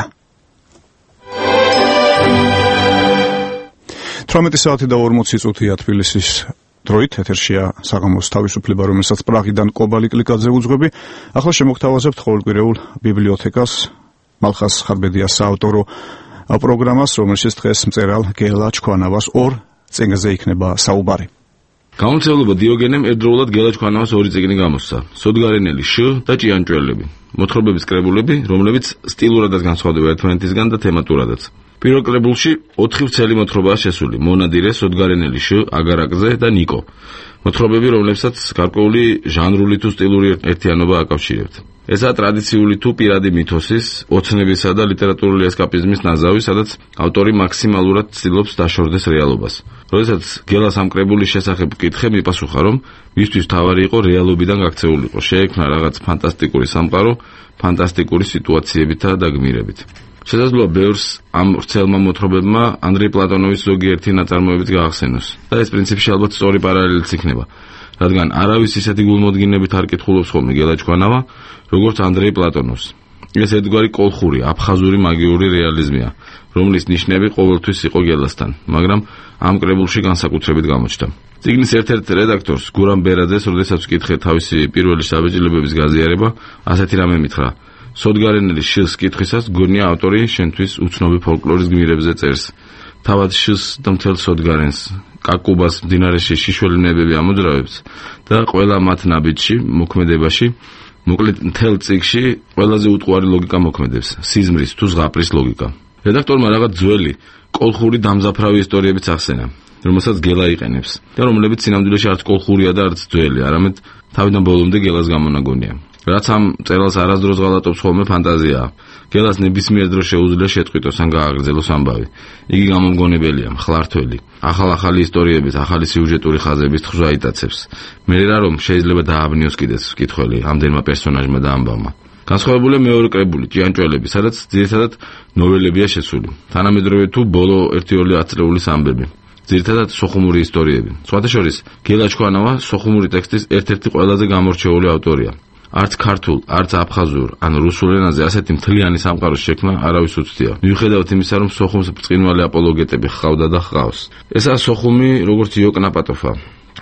თვრამეტი საათი და ორმოცი წუთია თბილისის დროით ეთერშია საღამოს თავისუფლება, რომელსაც პრაღიდან კობალი კლიკაძე უძღვები. ახლა შემოგთავაზებთ ყოველკვირეულ ბიბლიოთეკას მალხას ხარბედიას საავტორო პროგრამას, რომელშიც დღეს მწერალ გელა ჩქვანავას ორ წიგნზე იქნება საუბარი. გამომცემლობა დიოგენემ ერთდროულად გელა ჩქვანავას ორი წიგნი გამოსცა: სოდგარენელი შ და ჭიანჭველები, მოთხრობების კრებულები, რომლებიც სტილურადაც განსხვავდება ერთმანეთისგან და თემატურადაც. პირველ კრებულში ოთხი ვრცელი მოთხრობაა შესული: მონადირე, სოდგარენელი შ, აგარაკზე და ნიკო. მოთხრობები, რომლებსაც გარკვეული ჟანრული თუ სტილური ერთიანობა აკავშირებთ. ესაა ტრადიციული თუ პირადი მითოსის, ოცნებისა და ლიტერატურული ესკაპიზმის ნაზავი, სადაც ავტორი მაქსიმალურად ცდილობს დაშორდეს რეალობას. როდესაც გელას ამ კრებულის შესახებ ვკითხე, მიპასუხა, რომ მისთვის თავარი იყო რეალობიდან გაქცეულიყო, შეექმნა რაღაც ფანტასტიკური სამყარო, ფანტასტიკური სიტუაციებითა და გმირებით. შესაძლოა ბევრს ამ ვრცელმა მოთხრობებმა ანდრეი პლატონოვის ზოგიერთი ნაწარმოებიც გაახსენოს. და ეს პრინციპში ალბათ სწორი პარალელიც იქნება, რადგან არავის ისეთი გულმოდგინებით არ კითხულობს ხოლმე გელა ჩქვანავა, როგორც ანდრეი პლატონოვს. ეს ერთგვარი კოლხური, აფხაზური მაგიური რეალიზმია, რომლის ნიშნები ყოველთვის იყო გელასთან, მაგრამ ამ კრებულში განსაკუთრებით გამოჩნდა. წიგნის ერთ-ერთ რედაქტორს, გურამ ბერაძეს, როდესაც ვკითხე თავისი პირველი საბეჭდილებების გაზიარება, ასეთი რამე მითხრა: სოდგარენელი შილს კითხვისას გონია ავტორი შენთვის უცნობი ფოლკლორის გმირებზე წერს. თავად შილს და მთელ სოდგარენს, კაკუბას მდინარეში შიშველი ნებები ამოძრავებს და ყველა მათ ნაბიჯში, მოქმედებაში, მოკლედ მთელ წიგნში ყველაზე უტყუარი ლოგიკა მოქმედებს, სიზმრის თუ ზღაპრის ლოგიკა. რედაქტორმა რაღაც ძველი, კოლხური დამზაფრავი ისტორიებიც ახსენა, რომელსაც გელა იყენებს და რომლებიც სინამდვილეში არც კოლხურია და არც ძველი, არამედ თავიდან ბოლომდე გელას გამონაგონია. რაც ამ წერალს არასდროს ღალატობს ხოლმე ფანტაზიაა. გელას ნებისმიერ დროს შეუძლია შეწყვიტოს ან გააგრძელოს ამბავი. იგი გამომგონებელია, მხლართველი, ახალ-ახალი ისტორიებით, ახალი სიუჟეტური ხაზების თხზვა იტაცებს. მე რა რომ შეიძლება დააბნიოს კიდეც მკითხველი ამდენმა პერსონაჟმა და ამბავმა. განსხვავებულია მეორე კრებული, ჭიანჭველები, სადაც ძირითადად ნოველებია შესული. თანამედროვე თუ ბოლო ერთი-ორი ათწლეულის ამბები. ძირითადად სოხუმური ისტორიები. სხვათა შორის, გელა ჩქვანავა სოხუმური ტექსტის ერთ-ერთი ყველაზე გამორჩეული ავტორია. არც ქართულ, არც აფხაზურ, ან რუსულ ენაზე ასეთი მთლიანი სამყაროს შექმნა არავის უცდია. მიუხედავად იმისა, რომ სოხუმს ბრწყინვალე აპოლოგეტები ჰყავდა და ჰყავს. ესაა სოხუმი, როგორც იოკნაპატოფა,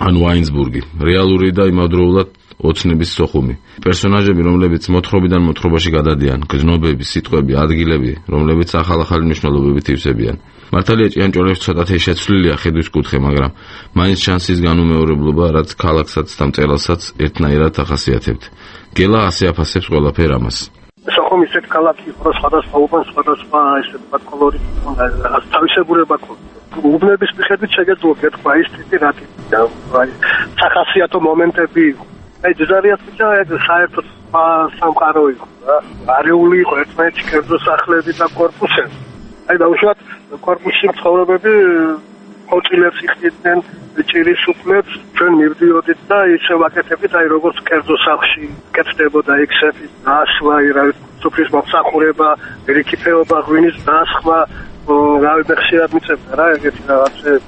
ან ვაინსბურგი, რეალური და იმავდროულად ოცნების სოხუმი. პერსონაჟები, რომლებიც მოთხრობიდან მოთხრობაში გადადიან, გრძნობები, სიტყვები, ადგილები, რომლებიც ახალ-ახალი მნიშვნელობებით ივსებიან. მართალია ჭიანჭველებს ცოტათი შეცვლილია ხედვის კუთხე, მაგრამ მაინც ჩანს ის განუმეორებლობა, რაც ქალაქსაც და მწერალსაც ერთნაირად ახასიათებთ. გელა ასე აფასებს ყველაფერ ამას. სოხუმი ისეთ ქალაქი იყო, რომ სხვადასხვა უბანს სხვადასხვა ესე ვთქვათ კოლორიტი ჰქონდა, რაღაც თავისებურება ჰქონდა. უბნების მიხედვით შეგეძლო გეთქვა ის ტიპი რა ტიპია, აი სახასიათო მომენტები იყო. აი ძარიას პიჭა ეგ საერთოდ სამყარო იყო რა. არეული იყო ერთმანეთში კერძო სახლები და კორპუსები. აი დაუშვათ კორპუსში ცხოვრებები ხოჭილებს იხდიდნენ, ჭირის უფლებს, ჩვენ მივდიოდით და ისე ვაკეთებით, აი როგორც კერძო სახლში კეთდებოდა ექსეფის დასვა, რა სოფლის მომსახურება, რიკიფეობა, ღვინის დასხმა, რა ვიცი ხშირად მიწევდა რა ეგეთი რაღაცები.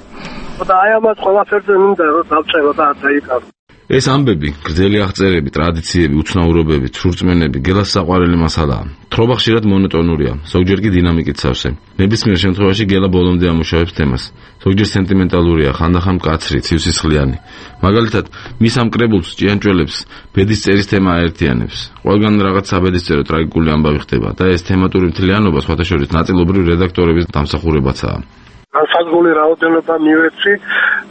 და აი ამას ყველაფერზე მინდა რომ დავწერო და არ დაიკავო. ეს ამბები, გრძელი აღწერები, ტრადიციები, უცნაურობები, ცურწმენები, გელას საყვარელი მასალაა. თხრობა ხშირად მონოტონურია, ზოგჯერ კი დინამიკით სავსე. ნებისმიერ შემთხვევაში გელა ბოლომდე ამუშავებს თემას. ზოგჯერ სენტიმენტალურია, ხანდახან მკაცრი, ცივსისხლიანი. მაგალითად, მის ამ კრებულს ჭიანჭველებს ბედის წერის თემა აერთიანებს. ყველგან რაღაც საბედისწერო ტრაგიკული ამბავი ხდება და ეს თემატური მთლიანობა სხვათა შორის ნაწილობრივ რედაქტორების დამსახურებაცაა. განსაზღვრული რაოდენობა მივეცი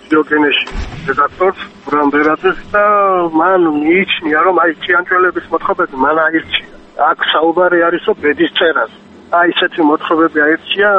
დიოგენეში რედაქტორს გურამ ბერაძეს და მან მიიჩნია რომ აი ჭიანჭველების მოთხრობები მან აირჩია. აქ საუბარი არისო ბედის წერას. აი ესეთი მოთხრობები აირჩია,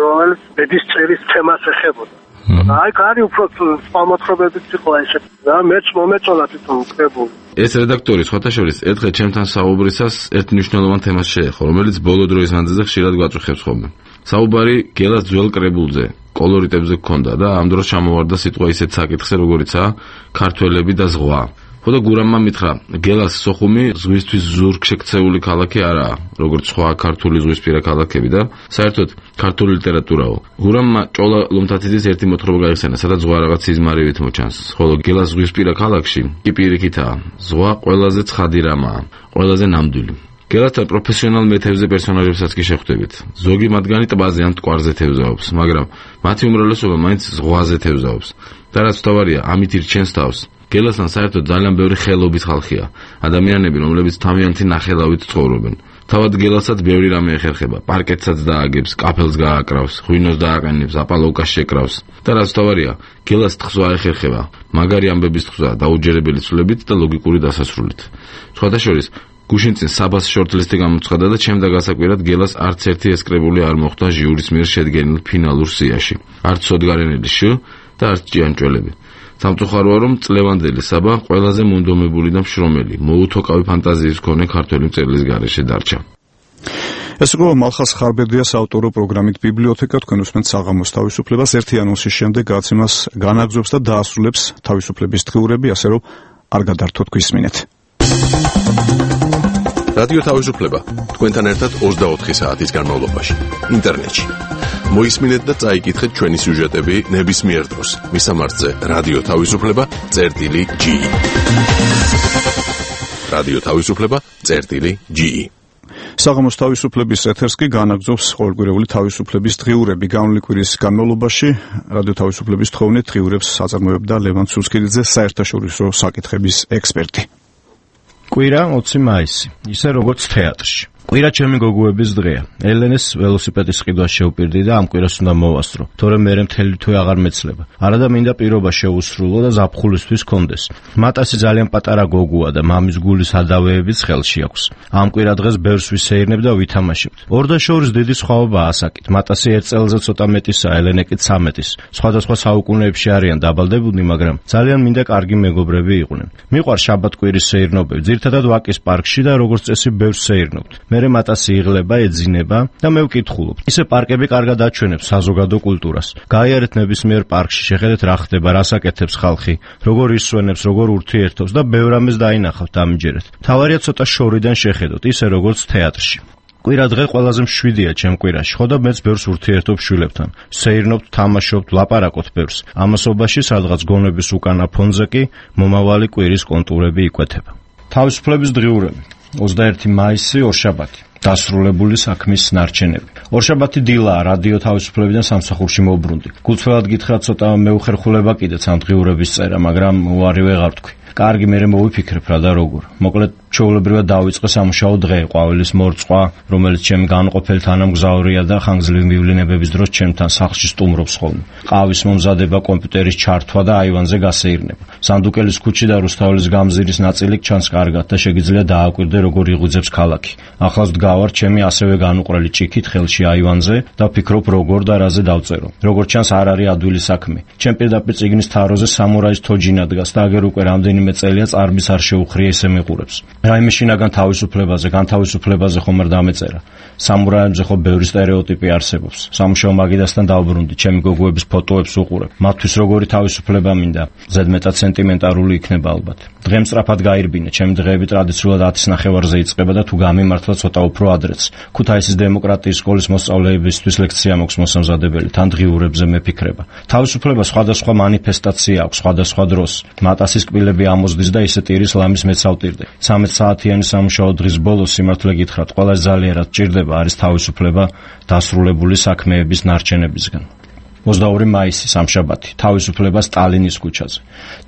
რომელიც ბედის წერის თემას ეხებოდა. აი კარი უფრო სპამოთხრობებით იყო ესეთ და მეც მომეწონა თვითონ კრებული. ეს რედაქტორი სხვათა შორის ერთხელ ჩემთან საუბრისას ერთ მნიშვნელოვან თემას შეეხო, რომელიც ბოლო დროის მანძილზე ხშირად გვაწუხებს ხოლმე. საუბარი გელას ძველ კრებულზე, კოლორიტებზე გქონდა და ამ დროს ჩამოვარდა სიტყვა ისეთ საკითხზე, როგორიცაა ქართველები და ზღვა. ხოდა გურამმა მითხრა, გელას სოხუმი ზღვისთვის ზურგ შექცეული ქალაქი არაა, როგორც სხვა ქართული ზღვისპირა ქალაქები და საერთოდ ქართული ლიტერატურაო. გურამმა ჭოლა ლომთათიძის ერთი მოთხრობა გაიხსენა, სადაც ზღვა რაღაც სიზმარივით მოჩანს, ხოლო გელას ზღვისპირა ქალაქში კი პირიქითაა, ზღვა ყველაზე ცხადი რამაა, ყველაზე ნამდვილი. გელასთან პროფესიონალ მეთევზე პერსონაჟებსაც კი შეხვდებით. ზოგი მათგანი ტბაზე ან მტკვარზე თევზაობს, მაგრამ მათი უმრავლესობა მაინც ზღვაზე თევზაობს. და რაც თავარია, ამით ირჩენს თავს. გელასთან საერთოდ ძალიან ბევრი ხელობით ხალხია, ადამიანები, რომლებიც თავიანთი ნახელავით ცხოვრობენ. თავად გელასაც ბევრი რამე ეხერხება, პარკეტსაც დააგებს, კაფელს გააკრავს, ღვინოს დააყენებს, აპალოვკას შეკრავს. და რაც თავარია, გელას თხზვა ეხერხება, მაგარი ამბების თხზვა, დაუჯერებელი ცვლებით და ლოგიკური დასასრულით. სხვათა შორის, გუშინ წინ საბას შორტლისტი გამოცხადა და ჩემდა გასაკვირად გელას არც ერთი ეს კრებული არ მოხვდა ჟიურის მიერ შედგენილ ფინალურ სიაში. არც სოდგარენელი შ და არც ჭიანჭველები. სამწუხაროა, რომ წლევანდელი საბა ყველაზე მონდომებული და მშრომელი, მოუთოკავი ფანტაზიის მქონე ქართველი მწერლის გარეშე დარჩა. ეს იყო მალხას ხარბედიას ავტორო პროგრამით ბიბლიოთეკა, თქვენ უსმენთ საღამოს თავისუფლებას. ერთი ანონსის შემდეგ გაცემას განაგზობს და დაასრულებს თავისუფლების დღიურები, ასე რომ არ გადართოთ გვისმინეთ. რადიო თავისუფლება თქვენთან ერთად ოცდაოთხი საათის განმავლობაში ინტერნეტში. მოისმინეთ და წაიკითხეთ ჩვენი სიუჟეტები ნებისმიერ დროს მისამართზე რადიო თავისუფლება წერტილი ჯი. რადიო თავისუფლება წერტილი ჯი. საღამოს თავისუფლების ეთერს კი განაგზობს ყოველკვირეული თავისუფლების დღიურები. გამოვლილი კვირის განმავლობაში რადიო თავისუფლების თხოვნით დღიურებს აწარმოებდა ლევან ცუცქიძე, საერთაშორისო საკითხების ექსპერტი. კვირა ოცი მაისი, ისე როგორც თეატრში. კვირა ჩემი გოგოების დღეა. ელენეს ველოსიპედის ყიდვა შევპირდი და ამ კვირას უნდა მოვასწრო, თორემ მერე მთელი თვე აღარ მეცლება. არადა მინდა პირობა შეუსრულო და ზაფხულისთვის კონდეს. მატასი ძალიან პატარა გოგოა და მამის გულის ადავეებიც ხელში აქვს. ამ კვირა დღეს ბევრს ვისეირნებ და ვითამაშებთ. ორდაშორის დიდი სხვაობაა ასაკით. მატასი ერთ წელზე ცოტა მეტისაა, ელენე კი ცამეტის. სხვადასხვა საუკუნეებში არიან დაბალდებულნი, მაგრამ ძალიან მინდა კარგი მეგობრები იყვნენ. მიყვარს შაბათ-კვირის სეირნობები, ძირითადად ვაკის პარკში და როგორც წესი ბევრს სეირნობთ. მერე მატასი იღლება, ეძინება და მე ვკითხულობ. ისე პარკები კარგად აჩვენებს საზოგადო კულტურას. გაიარეთ ნებისმიერ პარკში, შეხედეთ რა ხდება, რას აკეთებს ხალხი, როგორ ისვენებს, როგორ ურთიერთობს და ბევრ ამას დაინახავთ, ამჯერეთ. თავარია ცოტა შორიდან შეხედოთ, ისე როგორც თეატრში. კვირა დღე ყველაზე მშვიდია ჩემ კვირაში, ხო და მეც ბევრს ურთიერთობ შვილებთან. სეირნობთ, თამაშობთ, ლაპარაკობთ ბევრს. ამასობაში სადღაც გონების უკანა ფონზე კი მომავალი კვირის კონტურები იკვეთება. თავისუფლების დღიურები. ოცდაერთი მაისი, ორშაბათი. დასრულებული საქმის ნარჩენები. ორშაბათი დილაა, რადიო თავისუფლებიდან სამსახურში მოbrunდი. გულწრფელად გითხრათ, ცოტა მეუხერხულება კიდეც ამ დღიურების წერა, მაგრამ უარი ვეღარ თქვი. კარგი, მერე მოვიფიქრებ რა და როგორ. მოკლედ ჩვეულებრივად დავიწყე სამუშაო დღე, ყვავილის მორწყვა, რომელიც ჩემი განყოფილ თანამგზავრია და ხანგრძლივი მივლინებების დროს ჩემთან სახლში სტუმრობს ხოლმე. ყავის მომზადება, კომპიუტერის ჩართვა და აივანზე გასეირნება. სანდუკელის ქუჩი და რუსთაველის გამზირის ნაწილი ჩანს კარგად და შეგიძლია დააკვირდე, როგორ იღვიძებს ქალაქი. ახლავს დგავარ ჩემი ასევე განუყრელი ჭიქით ხელში აივანზე და ვფიქრობ, როგორ და რაზე დავწერო. როგორც ჩანს, არ არის ადვილი საქმე. ჩემ პირდაპირ წიგნის თაროზე სამურაის თოჯინა დგას და აგერ უკვე რამდენიმე წელია წარბის არ შეუხრია, ისე მიყურებს. რაიმე შინაგან თავისუფლებაზე, განთავისუფლებაზე ხომ არ დამეწერა. სამურაებზე ხო ბევრი სტერეოტიპი არსებობს. სამუშაო მაგიდასთან დავბრუნდი, ჩემი გოგოების ფოტოებს უყურებ. მათთვის როგორი თავისუფლება მინდა, ზედმეტად სენტიმენტარული იქნება ალბათ. დღე მწრაფად გაირბინე, ჩემი დღეები ტრადიციულად ათის ნახევარზე იწყება და თუ გამიმართლა ცოტა უფრო ადრეც. ქუთაისის დემოკრატიის სკოლის მოსწავლეებისთვის ლექცია მაქვს მოსამზადებელი, თან დღიურებზე მეფიქრება. თავისუფლება სხვადასხვა მანიფესტაცია აქვს სხვადასხვა დროს. მატასის კბილები ამოზდის და ისე ტირის ლამის მეცავტირდე. ცამეტ საათიანი სამუშაო დღის ბოლოს სიმართლე გითხრათ, ყველა ძალიერად ჭირდება არის თავისუფლება დასრულებული საქმეების ნარჩენებისგან. ოცდაორი მაისი, სამშაბათი, თავისუფლება სტალინის ქუჩაზე.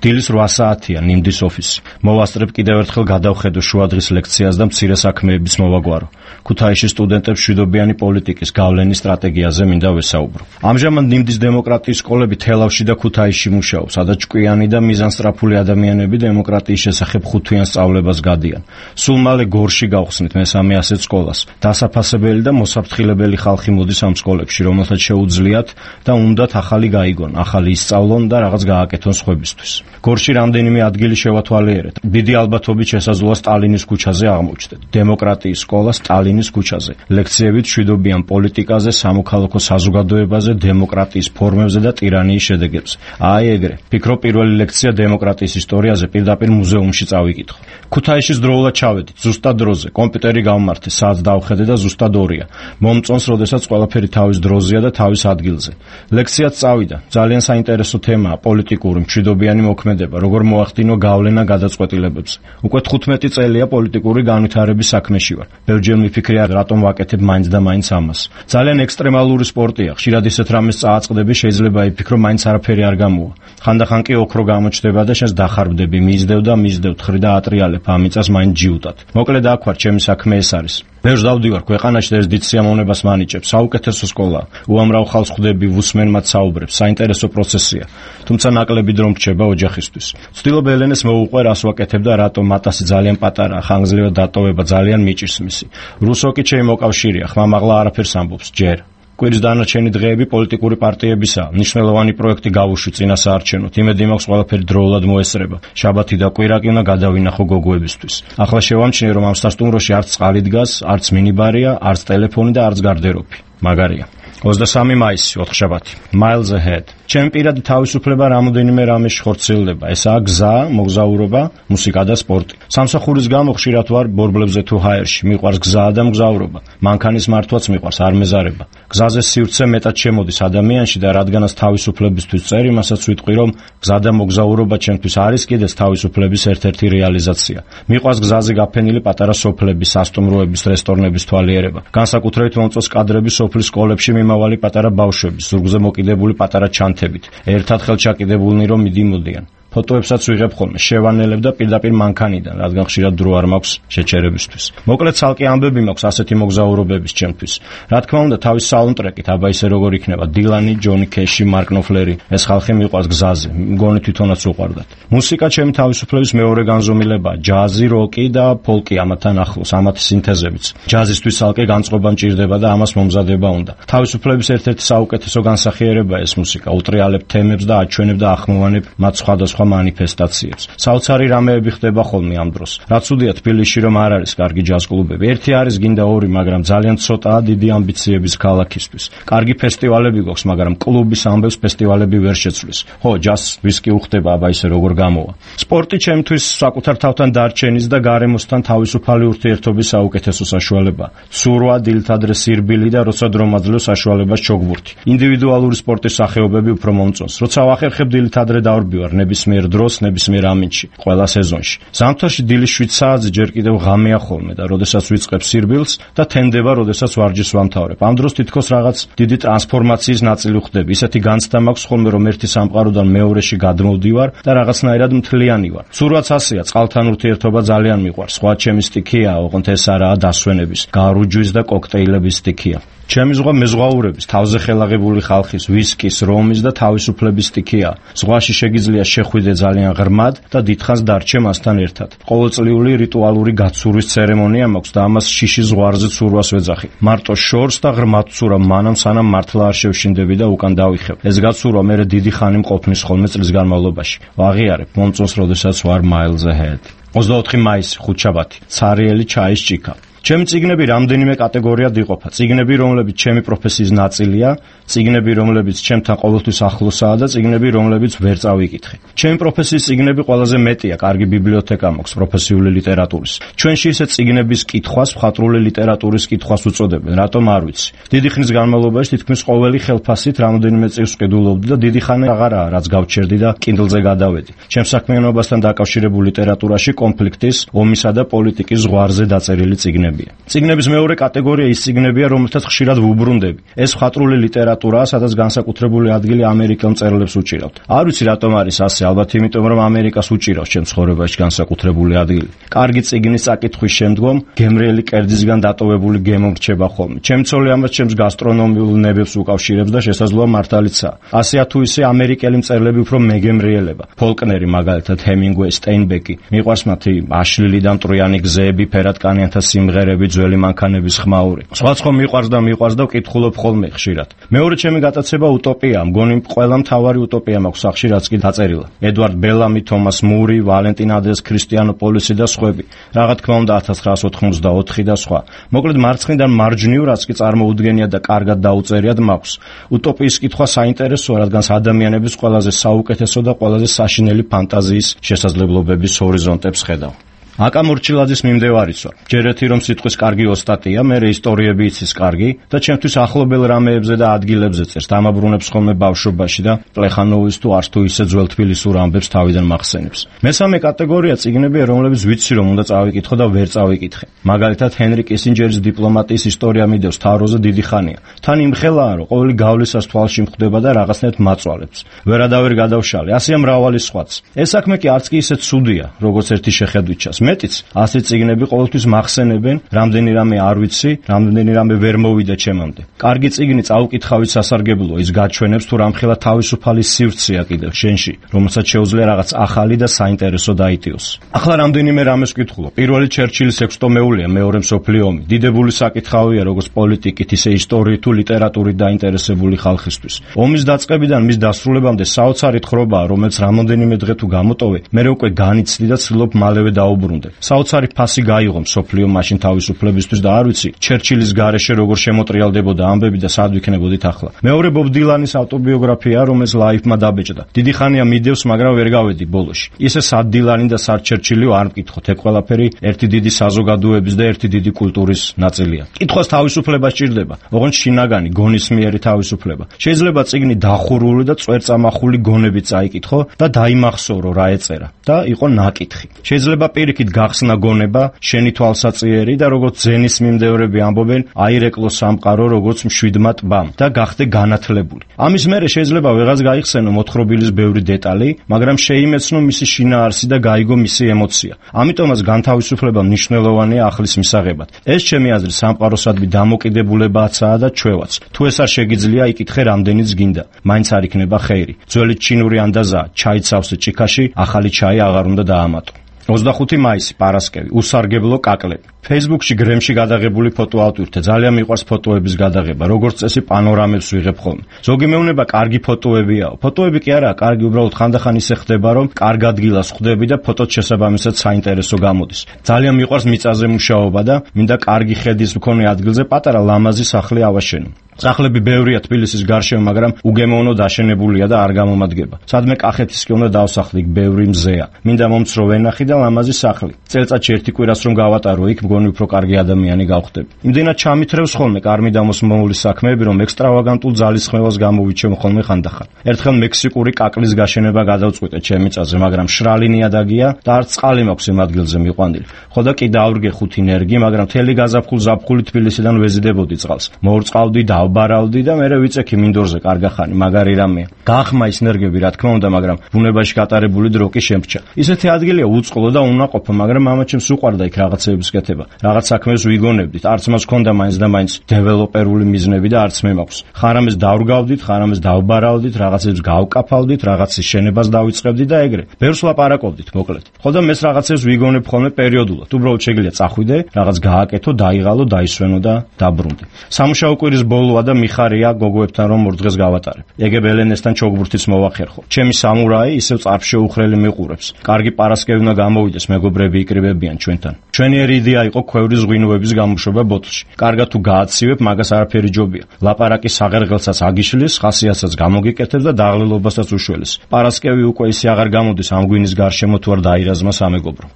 დილის რვა საათია, ნიმდის ოფისი. მოვასწრებ კიდევ ერთხელ გადავხედო შუადღის ლექციას და მცირე საქმეების მოვაგვარო. ქუთაისში სტუდენტებს მშვიდობიანი პოლიტიკის გავლენის სტრატეგიაზე მინდა ვესაუბრო. ამჟამად ნიმდის დემოკრატიის სკოლები თელავში და ქუთაისში მუშაობს, სადაც ჭკვიანი და მიზანსტრაფული ადამიანები დემოკრატიის შესახებ ხუთვიან სწავლებას გადიან. სულ მალე გორში გავხსნით მესამე ასეთ სკოლას. დასაფასებელი და მოსაფრთხილებელი ხალხი მოდის ამ სკოლებში, რომელთაც შეუძლიათ და უნდათ ახალი გაიგონ, ახალი ისწავლონ და რაღაც გააკეთონ სხვებისთვის. გორში რამდენიმე ადგილი შევათვალიერეთ. დიდი ალბათობით შესაძლოა სტალინის ქუჩაზე აღმოჩნდეთ. დემოკრატიის სკოლა სტალინის ქუჩაზე. ლექციებით მშვიდობიან პოლიტიკაზე, სამოქალაქო საზოგადოებაზე, დემოკრატიის ფორმებზე და ტირანიის შედეგებზე. აი ეგრე. ფიქრობ პირველი ლექცია დემოკრატიის ისტორიაზე პირდაპირ მუზეუმში წავიკითხო. ქუთაისში დროულად ჩავედით, ზუსტად დროზე. კომპიუტერი გავმართე, საათს დავხედე და ზუსტად ორია. მომწონს, როდესაც ყველაფერი თავის დროზეა და თავის ადგილზე. ლექციაც წავიდა. ძალიან საინტერესო თემაა პოლიტიკური მშვიდობიანი მოქმედება, როგორ მოახდინო გავლენა გადაწყვეტილებებზე. უკვე თხუთმეტი წელია პოლიტიკური განვითარების საქმეში ვარ. ბევრჯერ მიფიქრია, რატომ ვაკეთებ მაინც და მაინც ამას. ძალიან ექსტრემალური სპორტია. ხშირად ისეთ რამეს წააწყდები, შეიძლება იფიქრო, მაინც არაფერი არ გამოვა. ხანდახან კი ოქრო გამოჩნდება და შენს დახარბდები, მისდევ და მისდევ, თხრი და ატრიალებ, ამიწას მაინც ჯიუტად. მოკლედ აქ ვარ, ჩემი საქმე ეს არის. ბევრს დავდივარ ქვეყანაში და ეს დიდ სიამოვნებას მანიჭებს. საუკეთესო სკოლა. უამრავ ხალხს ხვდები, ვუსმენ მათ საუბრებს. საინტერესო პროცესია. თუმცა ნაკლები დრო მრჩება ოჯახისთვის. ვცდილობ ელენეს მოუყვე, რას ვაკეთებ და რატომ მათასი ძალიან პატარაა, ხანგრძლივად დატოვება ძალიან მიჭირს მისი. რუსოკი ჩემი მოკავშირეა, ხმამაღლა არაფერს ამბობს, ჯერ. კვირის დანარჩენი დღეები პოლიტიკური პარტიებისაა. მნიშვნელოვანი პროექტი გავუშვი წინა საარჩევნოდ. იმედი მაქვს, ყველაფერი დროულად მოესწრება. შაბათი და კვირა კი უნდა გადავინახო გოგოებისთვის. ახლა შევამჩნიე, რომ ამ სასტუმროში არც წყალი დგას, არც მინიბარია, არც ტელეფონი და არც გარდერობი. მაგარია. ოცდასამი მაისი, ოთხშაბათი. Miles ahead. ჩემი პირადი თავისუფლება რამოდენიმე რამეში ხორციელდება. ესაა გზა, მოგზაურობა, მუსიკა და სპორტი. სამსახურის გამო ხშირად ვარ ბორბლებზე თუ ჰაერში. მიყვარს გზა და მგზავრობა. მანქანის მართვაც მიყვარს, არ მეზარება. გზაზე სივრცე მეტად შემოდის ადამიანში და რადგანაც თავისუფლებისთვის წერ, იმასაც ვიტყვი, რომ გზა და მოგზაურობა ჩემთვის არის კიდეც თავისუფლების ერთ-ერთი რეალიზაცია. მიყვარს გზაზე გაფენილი პატარა სოფლების, სასტუმროების, რესტორნების თვალიერება. განსაკუთრებით მომწონს კადრები სოფლის სკოლებში მიმავალი პატარა ბავშვების, ზურგზე მოკიდებული პატარა ჩანთებით, ერთად ხელჩაკიდებულნი რომ მიდიმოდიან. ფოტოებსაც ვიღებ ხოლმე, შევანელებ და პირდაპირ მანქანიდან, რადგან ხშირად დრო არ მაქვს შეჩერებისთვის. მოკლედ ცალკე ამბები მაქვს ასეთი მოგზაურობების ჩემთვის. რა თქმა უნდა, თავის საუნდტრეკით, აბა ისე როგორ იქნება, დილანი, ჯონი კეში, მარკ ნოფლერი, ეს ხალხი მიყვარს გზაზე, მგონი თვითონაც უყვარდათ. მუსიკა ჩემი თავისუფლების მეორე განზომილებაა, ჯაზი, როკი და ფოლკი ამათთან ახლოს, ამათი სინთეზებიც. ჯაზისთვის ცალკე განწყობა მჭირდება და ამას მომზადება უნდა. თავისუფლების ერთ-ერთი საუკეთესო განსახიერებაა ეს მუსიკა, უტრიალებ თემებს და აჩვენებ და ახმოვანებ მათ სხვადასხვა მანიფესტაციებს. საოცარი რამეები ხდება ხოლმე ამ დროს. რაც უდია თბილისში რომ არ არის კარგი ჯაზ კლუბები. ერთი არის გინდა ორი, მაგრამ ძალიან ცოტაა დიდი ამბიციების ქალაქისთვის. კარგი ფესტივალები გვაქვს, მაგრამ კლუბის ამბებს ფესტივალები ვერ შეცვლის. ხო, ჯაზს ვისკი უხდება, აბა ისე როგორ გამოვა. სპორტი ჩემთვის საკუთარ თავთან დარჩენის და გარემოსთან თავისუფალი ურთიერთობის საუკეთესო საშუალებაა. ცურვა, დილთადრე სირბილი და როცა დრო მაძლევ საშუალებას ჩოგბურთი. ინდივიდუალური სპორტის სახეობები უფრო მომწონს. როცა ვახერხებ დილთადრე დავრბივარ ნებისმიერ დროს ნებისმიერ ამინდში, ყველა სეზონში. ზამთარში დილის შვიდ საათზე ჯერ კიდევ ღამეა ხოლმე და როდესაც ვიწყებ სირბილს და თენდება, როდესაც ვარჯიშს ვამთავრებ. ამ დროს თითქოს რაღაც დიდი ტრანსფორმაციის ნაწილი ვხდები. ისეთი განცდა მაქვს ხოლმე, რომ ერთი სამყაროდან მეორეში გადმოვდივარ და რაღაცნაირად მთლიანი ვარ. ცურვაც ასეა, წყალთან ურთიერთობა ძალიან მიყვარს. სხვა ჩემი სტიქია, ოღონდ ეს არაა დასვენების, გარუჯვის და კოქტეილების სტიქია. ჩემი ზღვა მეზღვაურების, თავზე ხელაღებული ხალხის, ვისკის, რომის და თავისუფლების სტიქია. ზღვაში შეგიძლია შეხვიდე ძალიან ღრმად და დიდხანს დარჩე მასთან ერთად. ყოველწლიური რიტუალური გაცურვის ცერემონია მაქვს და ამას შიში ზღვარზე ცურვას ვეძახი. მარტო შორს და ღრმად ცურვა, მანამ სანამ მართლა არ შევშინდები და უკან დავიხებ. ეს გაცურვა მერე დიდი ხანი მყოფნის ხოლმე წლის განმავლობაში. ვაღიარებ, მომწონს, როდესაც ვარ Miles ahead. ოცდაოთხი მაისი, ხუთშაბათი. ცარიელი ჩაის ჭიქა. ჩემი წიგნები რამდენიმე კატეგორიად იყოფა. წიგნები, რომლებიც ჩემი პროფესიის ნაწილია, წიგნები, რომლებიც ჩემთან ყოველთვის ახლოსაა და წიგნები, რომლებიც ვერ წავიკითხე. ჩემი პროფესიის წიგნები ყველაზე მეტია, კარგი ბიბლიოთეკა მაქვს პროფესიული ლიტერატურის. ჩვენში ისე წიგნების კითხვას მხატვრული ლიტერატურის კითხვას უწოდებენ, რატომ არ ვიცი. დიდი ხნის განმავლობაში თითქმის ყოველი ხელფასით რამოდენიმე წიგნს ვყიდულობდი და დიდი ხანი აღარაა, რაც გავჩერდი და Kindle-ზე გადავედი. ჩემს საქმიანობასთან დაკავშირებულ ლიტერატურაში კონფლიქტის, ომისა და პოლიტიკის ზღვარზე დაწერილი წიგნები. წიგნების მეორე კატეგორია ის წიგნებია, რომელთაც ხშირად ვუბრუნდები. ეს მხატვრული ლიტერატურაა, სადაც განსაკუთრებული ადგილი ამერიკელ მწერლებს უჭირავთ. არ ვიცი რატომ არის ასე, ალბათ იმიტომ, რომ ამერიკას უჭირავს ჩემს ცხოვრებაში განსაკუთრებული ადგილი. კარგი წიგნის წაკითხვის შემდგომ გემრიელი კერძისგან დატოვებული გემო მრჩება ხოლმე. ჩემი ცოლი ამას ჩემს გასტრონომიულ ნებებს უკავშირებს და შესაძლოა მართალიცაა. ასეა თუ ისე ამერიკელი მწერლები უფრო მეგემრიელება. ფოლკნერი მაგალითად, ჰემინგვეი, სტეინბეკი. მიყვარს მათი აშლილი და მტრიანი გზები, ფერადკანიანთა სიმღერები სიმღერები, ძველი მანქანების ხმაური. სხვა სხვა მიყვარს და მიყვარს და ვკითხულობ ხოლმე ხშირად. მეორე ჩემი გატაცება უტოპია, მგონი ყველა მთავარი უტოპია მაქვს სახში, რაც კი დაწერილა. ედვარდ ბელამი, თომას მური, ვალენტინ ადეს, ქრისტიანოპოლისი და სხვები. რა თქმა უნდა ათას ცხრაასი ოთხმოცდაოთხი და სხვა. მოკლედ მარცხნიდან მარჯვნივ რაც კი წარმოუდგენია და კარგად დაუწერიად მაქვს. უტოპიის კითხვა საინტერესოა, რადგან ადამიანების ყველაზე საუკეთესო და ყველაზე საშინელი ფანტაზიის შესაძლებლობების ჰორიზონტებს ხედავ. აკა მორჩილაძის მიმდევარიც ვარ. ჯერ ერთი რომ სიტყვის კარგი ოსტატია, მერე ისტორიები იცის კარგი და ჩემთვის ახლობელ რამეებზე და ადგილებზე წერს. დამაბრუნებს ხოლმე ბავშვობაში და პლეხანოვის თუ არც თუ ისე ძველ თბილისურ ამბებს თავიდან მახსენებს. მესამე კატეგორია წიგნებია, რომლებიც ვიცი რომ უნდა წავიკითხო და ვერ წავიკითხე. მაგალითად ჰენრი კისინჯერის დიპლომატიის ისტორია მიდევს თავროზე დიდი ხანია. თან იმხელაა რომ ყოველი გავლისას თვალში მხვდება და რაღაცნაირად მაწვალებს. ვერადავერ გადავშალე. ასეა მრავალი სხვაც. ეს საქმე კი არც კი ისე ცუდია, როგორც ერთი შეხედვით ჩანს. მეტიც ასეთი წიგნები ყოველთვის მახსენებენ, რამდენი რამე არ ვიცი, რამდენი რამე ვერ მოვიდა ჩემამდე. კარგი წიგნი წაუკითხავით სასარგებლოა, ის გაჩვენებს თუ რამხელა თავისუფალი სივრცეა კიდევ შენში, რომელსაც შეუძლია რაღაც ახალი და საინტერესო დაიტიოს. ახლა რამდენიმე რამეს ვკითხულობ. პირველი ჩერჩილის ექვსტომეულია მეორე მსოფლიო ომი. დიდებული საკითხავია როგორც პოლიტიკით, ისე ისტორიით თუ ლიტერატურით დაინტერესებული ხალხისთვის. ომის დაწყებიდან მის დასრულებამდე საოცარი თხრობაა, რომელიც რამოდენიმე დღე თუ გამოტოვე, მერე უკვე განიცდი და ცდილობ მალევე დაუბრუნდე. საოცარი ფასი გაიღო მსოფლიო მაშინ თავისუფლებისთვის და არ ვიცი ჩერჩილის გარეშე როგორ შემოტრიალდებოდა ამბები და სად ვიქნებოდით ახლა. მეორე ბობ დილანის ავტობიოგრაფია, რომელიც ლაიფმა დაბეჭდა. დიდი ხანია მიდევს, მაგრამ ვერ გავედი ბოლოში. ისე სად დილანი და სად ჩერჩილიო არ მკითხოთ. ეგ ყველაფერი ერთი დიდი საზოგადოების და ერთი დიდი კულტურის ნაწილია. კითხვას თავისუფლება სჭირდება. ოღონდ შინაგანი, გონისმიერი თავისუფლება. შეიძლება წიგნი დახურული და წვერწამახული გონებით წაიკითხო და დაიმახსოვრო რა ეწერა და იყო ნაკითხი. შეიძლება პირიქით გახსნა გონება, შენი თვალსაწიერი და როგორც ძენის მიმდევრები ამბობენ, აირეკლო სამყარო როგორც მშვიდმა ტბამ და გახდე განათლებული. ამის მერე შეიძლება ვეღაც გაიხსენო მოთხრობილის ბევრი დეტალი, მაგრამ შეიმეცნო მისი შინაარსი და გაიგო მისი ემოცია. ამიტომაც განთავისუფლება მნიშვნელოვანია ახლის მისაღებად. ეს ჩემი აზრით სამყაროსადმი დამოკიდებულებაცაა და ჩვევაც. თუ ეს არ შეგიძლია, იკითხე რამდენიც გინდა. მაინც არ იქნება ხეირი. ძველი ჩინური ანდაზაა, ჩაიცავსე ჭიქაში, ახალი ჩაი აღარ უნდა დაამატო. ოცდახუთი მაისი, პარასკევი, უსარგებლო კაკლები. Facebook-ში გრემში გადაღებული ფოტო ავტვირთე. ძალიან მიყვარს ფოტოების გადაღება. როგორც წესი პანორამებს ვიღებ ხოლმე. ზოგი მეუბნება კარგი ფოტოებიაო. ფოტოები კი არაა, კარგი უბრალოდ ხანდახან ისე ხდება, რომ კარგ ადგილას ხვდები და ფოტოც შესაბამისად საინტერესო გამოდის. ძალიან მიყვარს მიწაზე მუშაობა და მინდა კარგი ხედის მქონე ადგილზე პატარა ლამაზი სახლი ავაშენო. სახლები ბევრია თბილისის გარშემო, მაგრამ უგემოვნო დაშენებულია და არ გამომადგება. სადმე კახეთისკენ უნდა დავსახლი, იქ ბევრი მზეა. მინდა მომცრო ვენახი და ლამაზი სახლი. წელწადში ერთი კვირას რომ გავატარო იქ, მგონი უფრო კარგი ადამიანი გავხდები. იმდენად ჩამithრევს ხოლმე კარმი დამოსმეული საქმეები, რომ ექსტრავაგანტულ ძალისხმევას გამოვიჩემ ხოლმე ხანდახან. ერთხელ მექსიკური კაკლის გაშენება გადავწყვიტე ჩემი წაზე, მაგრამ შრალი ნიადაგია და არც წყალი მაქვს იმ ადგილზე მიყვანილი. ხო და კი დავრგე ხუთი ნერგი, მაგრამ თელი გაზაფხულ ზაფხული თბილისიდან ვეზიდებოდი წყალს. მოურწყავდი და ვბარავდი და მერე ვიწექი მინდორზე კარგახანი, მაგარი რამეა. გაახმა ის ნერგები, რა თქმა უნდა, მაგრამ ბუნებაში გატარებული დრო კი შემრჩა. ისეთი ადგილია უწყლო და უნაყოფო, მაგრამ მამაჩემს უყვარდა იქ რაღაცეების კეთება. რაღაც საქმეს ვიგონებდით, არც მას ჰქონდა მაინც და მაინც დეველოპერული მიზნები და არც მე მაქვს. ხარამეს დავრგავდით, ხარამეს დავბარავდით, რაღაცებს გავკაფავდით, რაღაცის შენებას დავიწყებდით და ეგრე. ბევრს ლაპარაკობდით, მოკლედ. ხო და მეს რაღაცებს ვიგონებ ხოლმე პერიოდულად. უბრალოდ შეგიძლია წახვიდე, რაღაც გააკეთო, დაიღალო, დაისვენო და დაბრუნდე. სამუშაო კვირის ბოლოა და მიხარია გოგოებთან რომ ორ დღეს გავატარებ. ეგებ ელენესთან ჩოგბურთიც მოვახერხო. ჩემი სამურაი ისევ წარფშეუხრელი მიყურებს. კარგი პარასკევი უნდა გამოვიდეს, მეგობრები იკრიბებიან ჩვენთან. ჩვენიერი იდეა იყო ქვევრის ღვინოების გამოშვება ბოთლში. კარგად თუ გააცივებ, მაგას არაფერი ჯობია. ლაპარაკი საღერღელსაც აგიშლის, ხასიათსაც გამოგიკეთებს და დაღლილობასაც უშველეს. პარასკევი უკვე ისე აღარ გამოდის ამ ღვინის გარშემო თუ არ დაირაზმა სამეგობრო.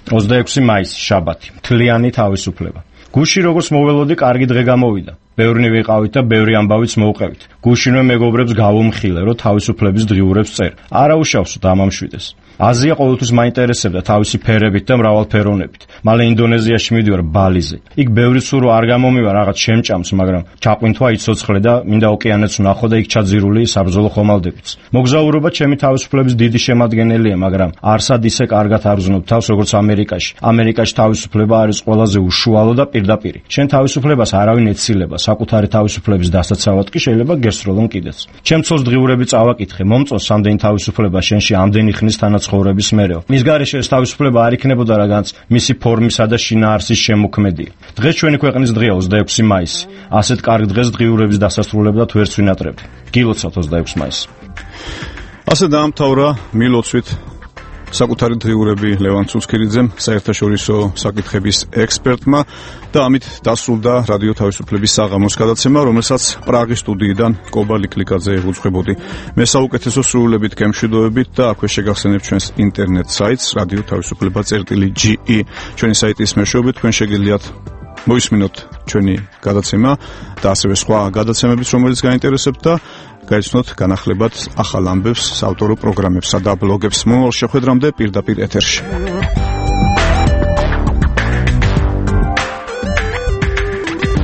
ოცდაექვსი მაისი, შაბათი. მთლიანი თავისუფლება. გუში როგორც მოველოდი, კარგი დღე გამოვიდა. ბევრნი ვიყავით და ბევრი ამბავიც მოვყევით. გუშინვე მეგობრებს გავუმხილე, რომ თავისუფლების დღიურებს წერ. არა უშავსო დამამშვიდეს. აზია ყოველთვის მაინტერესებდა თავისი ფერებით და მრავალფეროვნებით. მალე ინდონეზიაში მივდივარ ბალიზე. იქ ბევრი სურო არ გამომივა, რაღაც შემჭამს, მაგრამ ჩაყვინთვა იცოცხლე და მინდა ოკეანეც ვნახო და იქ ჩაძირული საბრძოლო ხომალდებიც. მოგზაურობა ჩემი თავისუფლების დიდი შემადგენელია, მაგრამ არსად ისე კარგად არ ვზნობ თავს, როგორც ამერიკაში. ამერიკაში თავისუფლება არის ყველაზე უშუალო და პირდაპირი. შენ თავისუფლებას არავინ ეცილება, საკუთარი თავისუფლების დასაცავად კი შეიძლება გესროლონ კიდეც. ჩემ ცოლს დღიურები წავაკითხე, მომწონს ამდენი თავისუფლება შენში ამდენი ხნის თანაც ცხოვრების მერეო. მის გარეშე ეს თავისუფლება არ იქნებოდა, რადგანაც მისი ფორმისა და შინაარსის შემოქმედია. დღეს ჩვენი ქვეყნის დღეა ოცდაექვსი მაისი. ასეთ კარგ დღეს დღიურების დასასრულებლად ვერც ვინატრებთ. გილოცავთ ოცდაექვსი მაისი. ასე დაამთავრა მილოცვით საკუთარი დღიურები ლევან ცუცქირიძემ, საერთაშორისო საკითხების ექსპერტმა და ამით დასრულდა რადიო თავისუფლების საღამოს გადაცემა, რომელსაც პრაღის სტუდიიდან კობა ლიკლიკაძე უძღვებოდი. მე საუკეთესო სრულებით გემშვიდობებით და აქვე შეგახსენებთ ჩვენს ინტერნეტ საიტს რადიო თავისუფლება წერტილი ჯი ი. ჩვენი საიტის მეშვეობით თქვენ შეგიძლიათ მოისმინოთ ჩვენი გადაცემა და ასევე სხვა გადაცემებიც, რომელიც გაინტერესებთ და გაიცნოთ განახლებად ახალ ამბებს, საავტორო პროგრამებსა და ბლოგებს. მომავალ შეხვედრამდე პირდაპირ ეთერში.